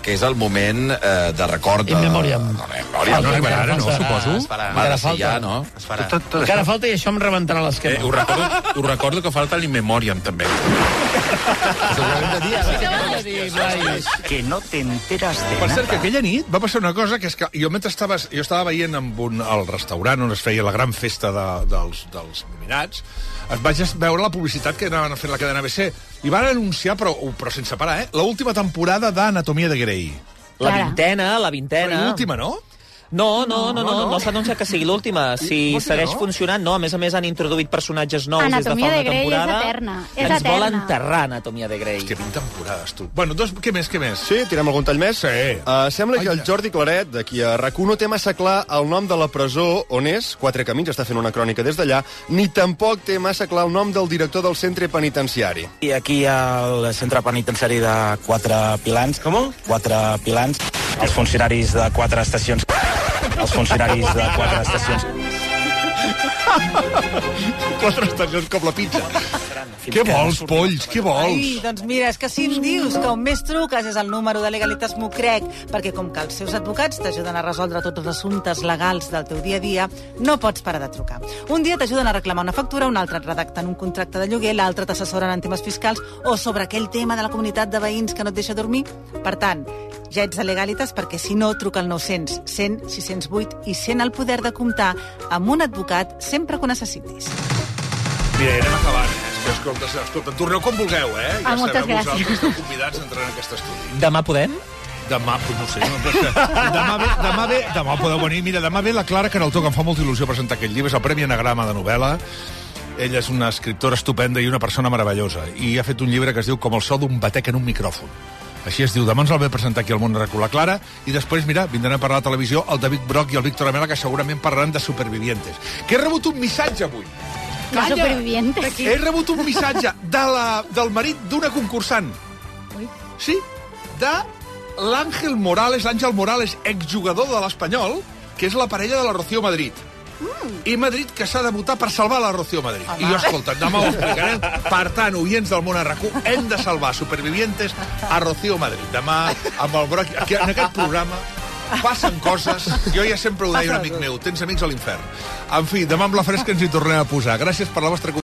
que és el moment eh, de record... De... In memoriam. No, memòria. No arribarà ara, no, suposo? Es farà. Encara Ha de ser falta. ja, no? Es farà. Tot, tot, Encara falta i això em rebentarà l'esquema. Eh, ho recordo, ho recordo que falta l'In Memoriam, també. Que no te enteras de Per cert, que aquella nit va passar una cosa, que és que jo mentre estava, jo estava veient amb un, al restaurant on es feia la gran festa de, dels, dels nominats, es vaig veure la publicitat que anaven fent la cadena A B C, i van anunciar, però, però sense parar, eh, l'última temporada d'Anatomia de Grey. La vintena, la vintena. Però l'última, no? No, no, no, no, No, no, no. no s'ha anunciat que sigui l'última. Si Vols dir que segueix no? funcionant, no. A més a més, han introduït personatges nous Anatomia des de fa de una Grey és temporada. eterna, és Ens vol eterna. enterrar Anatomia de Grey. Que vint temporades, tu. Bueno, dos, què més, què més? Sí, tirem algun tall més? Sí. Uh, sembla que el Jordi Claret, d'aquí a RAC u, no té massa clar el nom de la presó on és, Quatre Camins, està fent una crònica des d'allà, ni tampoc té massa clar el nom del director del centre penitenciari. I aquí al centre penitenciari de Quatre Pilans. Com? Quatre Pilans. Els funcionaris de quatre estacions. Els funcionaris de quatre estacions. Quatre estacions com la pizza. Què vols, polls? Què vols? Ai, doncs mira, és que si em dius que on més truques és el número de Legalitas m'ho crec, perquè com que els seus advocats t'ajuden a resoldre tots els assumptes legals del teu dia a dia, no pots parar de trucar. Un dia t'ajuden a reclamar una factura, un altre et redacten un contracte de lloguer, l'altre t'assessoren en temes fiscals o sobre aquell tema de la comunitat de veïns que no et deixa dormir. Per tant, ja ets a Legalitas perquè si no, truca al nou-cents, cent, sis cents vuit i sent el poder de comptar amb un advocat sempre que ho necessitis. Mira, anem acabant, eh? És que, escolta, escolta, torneu com vulgueu, eh? Ah, moltes sabeu gràcies. vosaltres, esteu convidats a entrar en aquest estudi. Demà podem? Demà, pues no sé, no, però és que demà ve, demà ve, demà podeu venir. Mira, demà ve la Clara Canaltó, que em fa molta il·lusió presentar aquest llibre, és el Premi Anagrama de novel·la. Ella és una escriptora estupenda i una persona meravellosa, i ha fet un llibre que es diu Com el so d'un batec en un micròfon. Així es diu. Demà ens el ve presentar aquí al Món Recu la Clara, i després, mira, vindran a parlar a la televisió el David Brock i el Víctor Amela, que segurament parlaran de Supervivientes. Que he rebut un missatge avui. De Supervivientes. He rebut un missatge de la, del marit d'una concursant. Ui. Sí, de l'Àngel Morales, l'Àngel Morales, exjugador de l'Espanyol, que és la parella de la Rocío Madrid. i Madrid, que s'ha de votar per salvar la Rocío Madrid. I jo, escolta, demà ho explicarem. Per tant, oients del món a RAC u, hem de salvar supervivientes a Rocío Madrid. Demà, amb el broc... Aquí, en aquest programa passen coses. Jo ja sempre ho deia un amic meu, tens amics a l'infern. En fi, demà amb la fresca ens hi tornem a posar. Gràcies per la vostra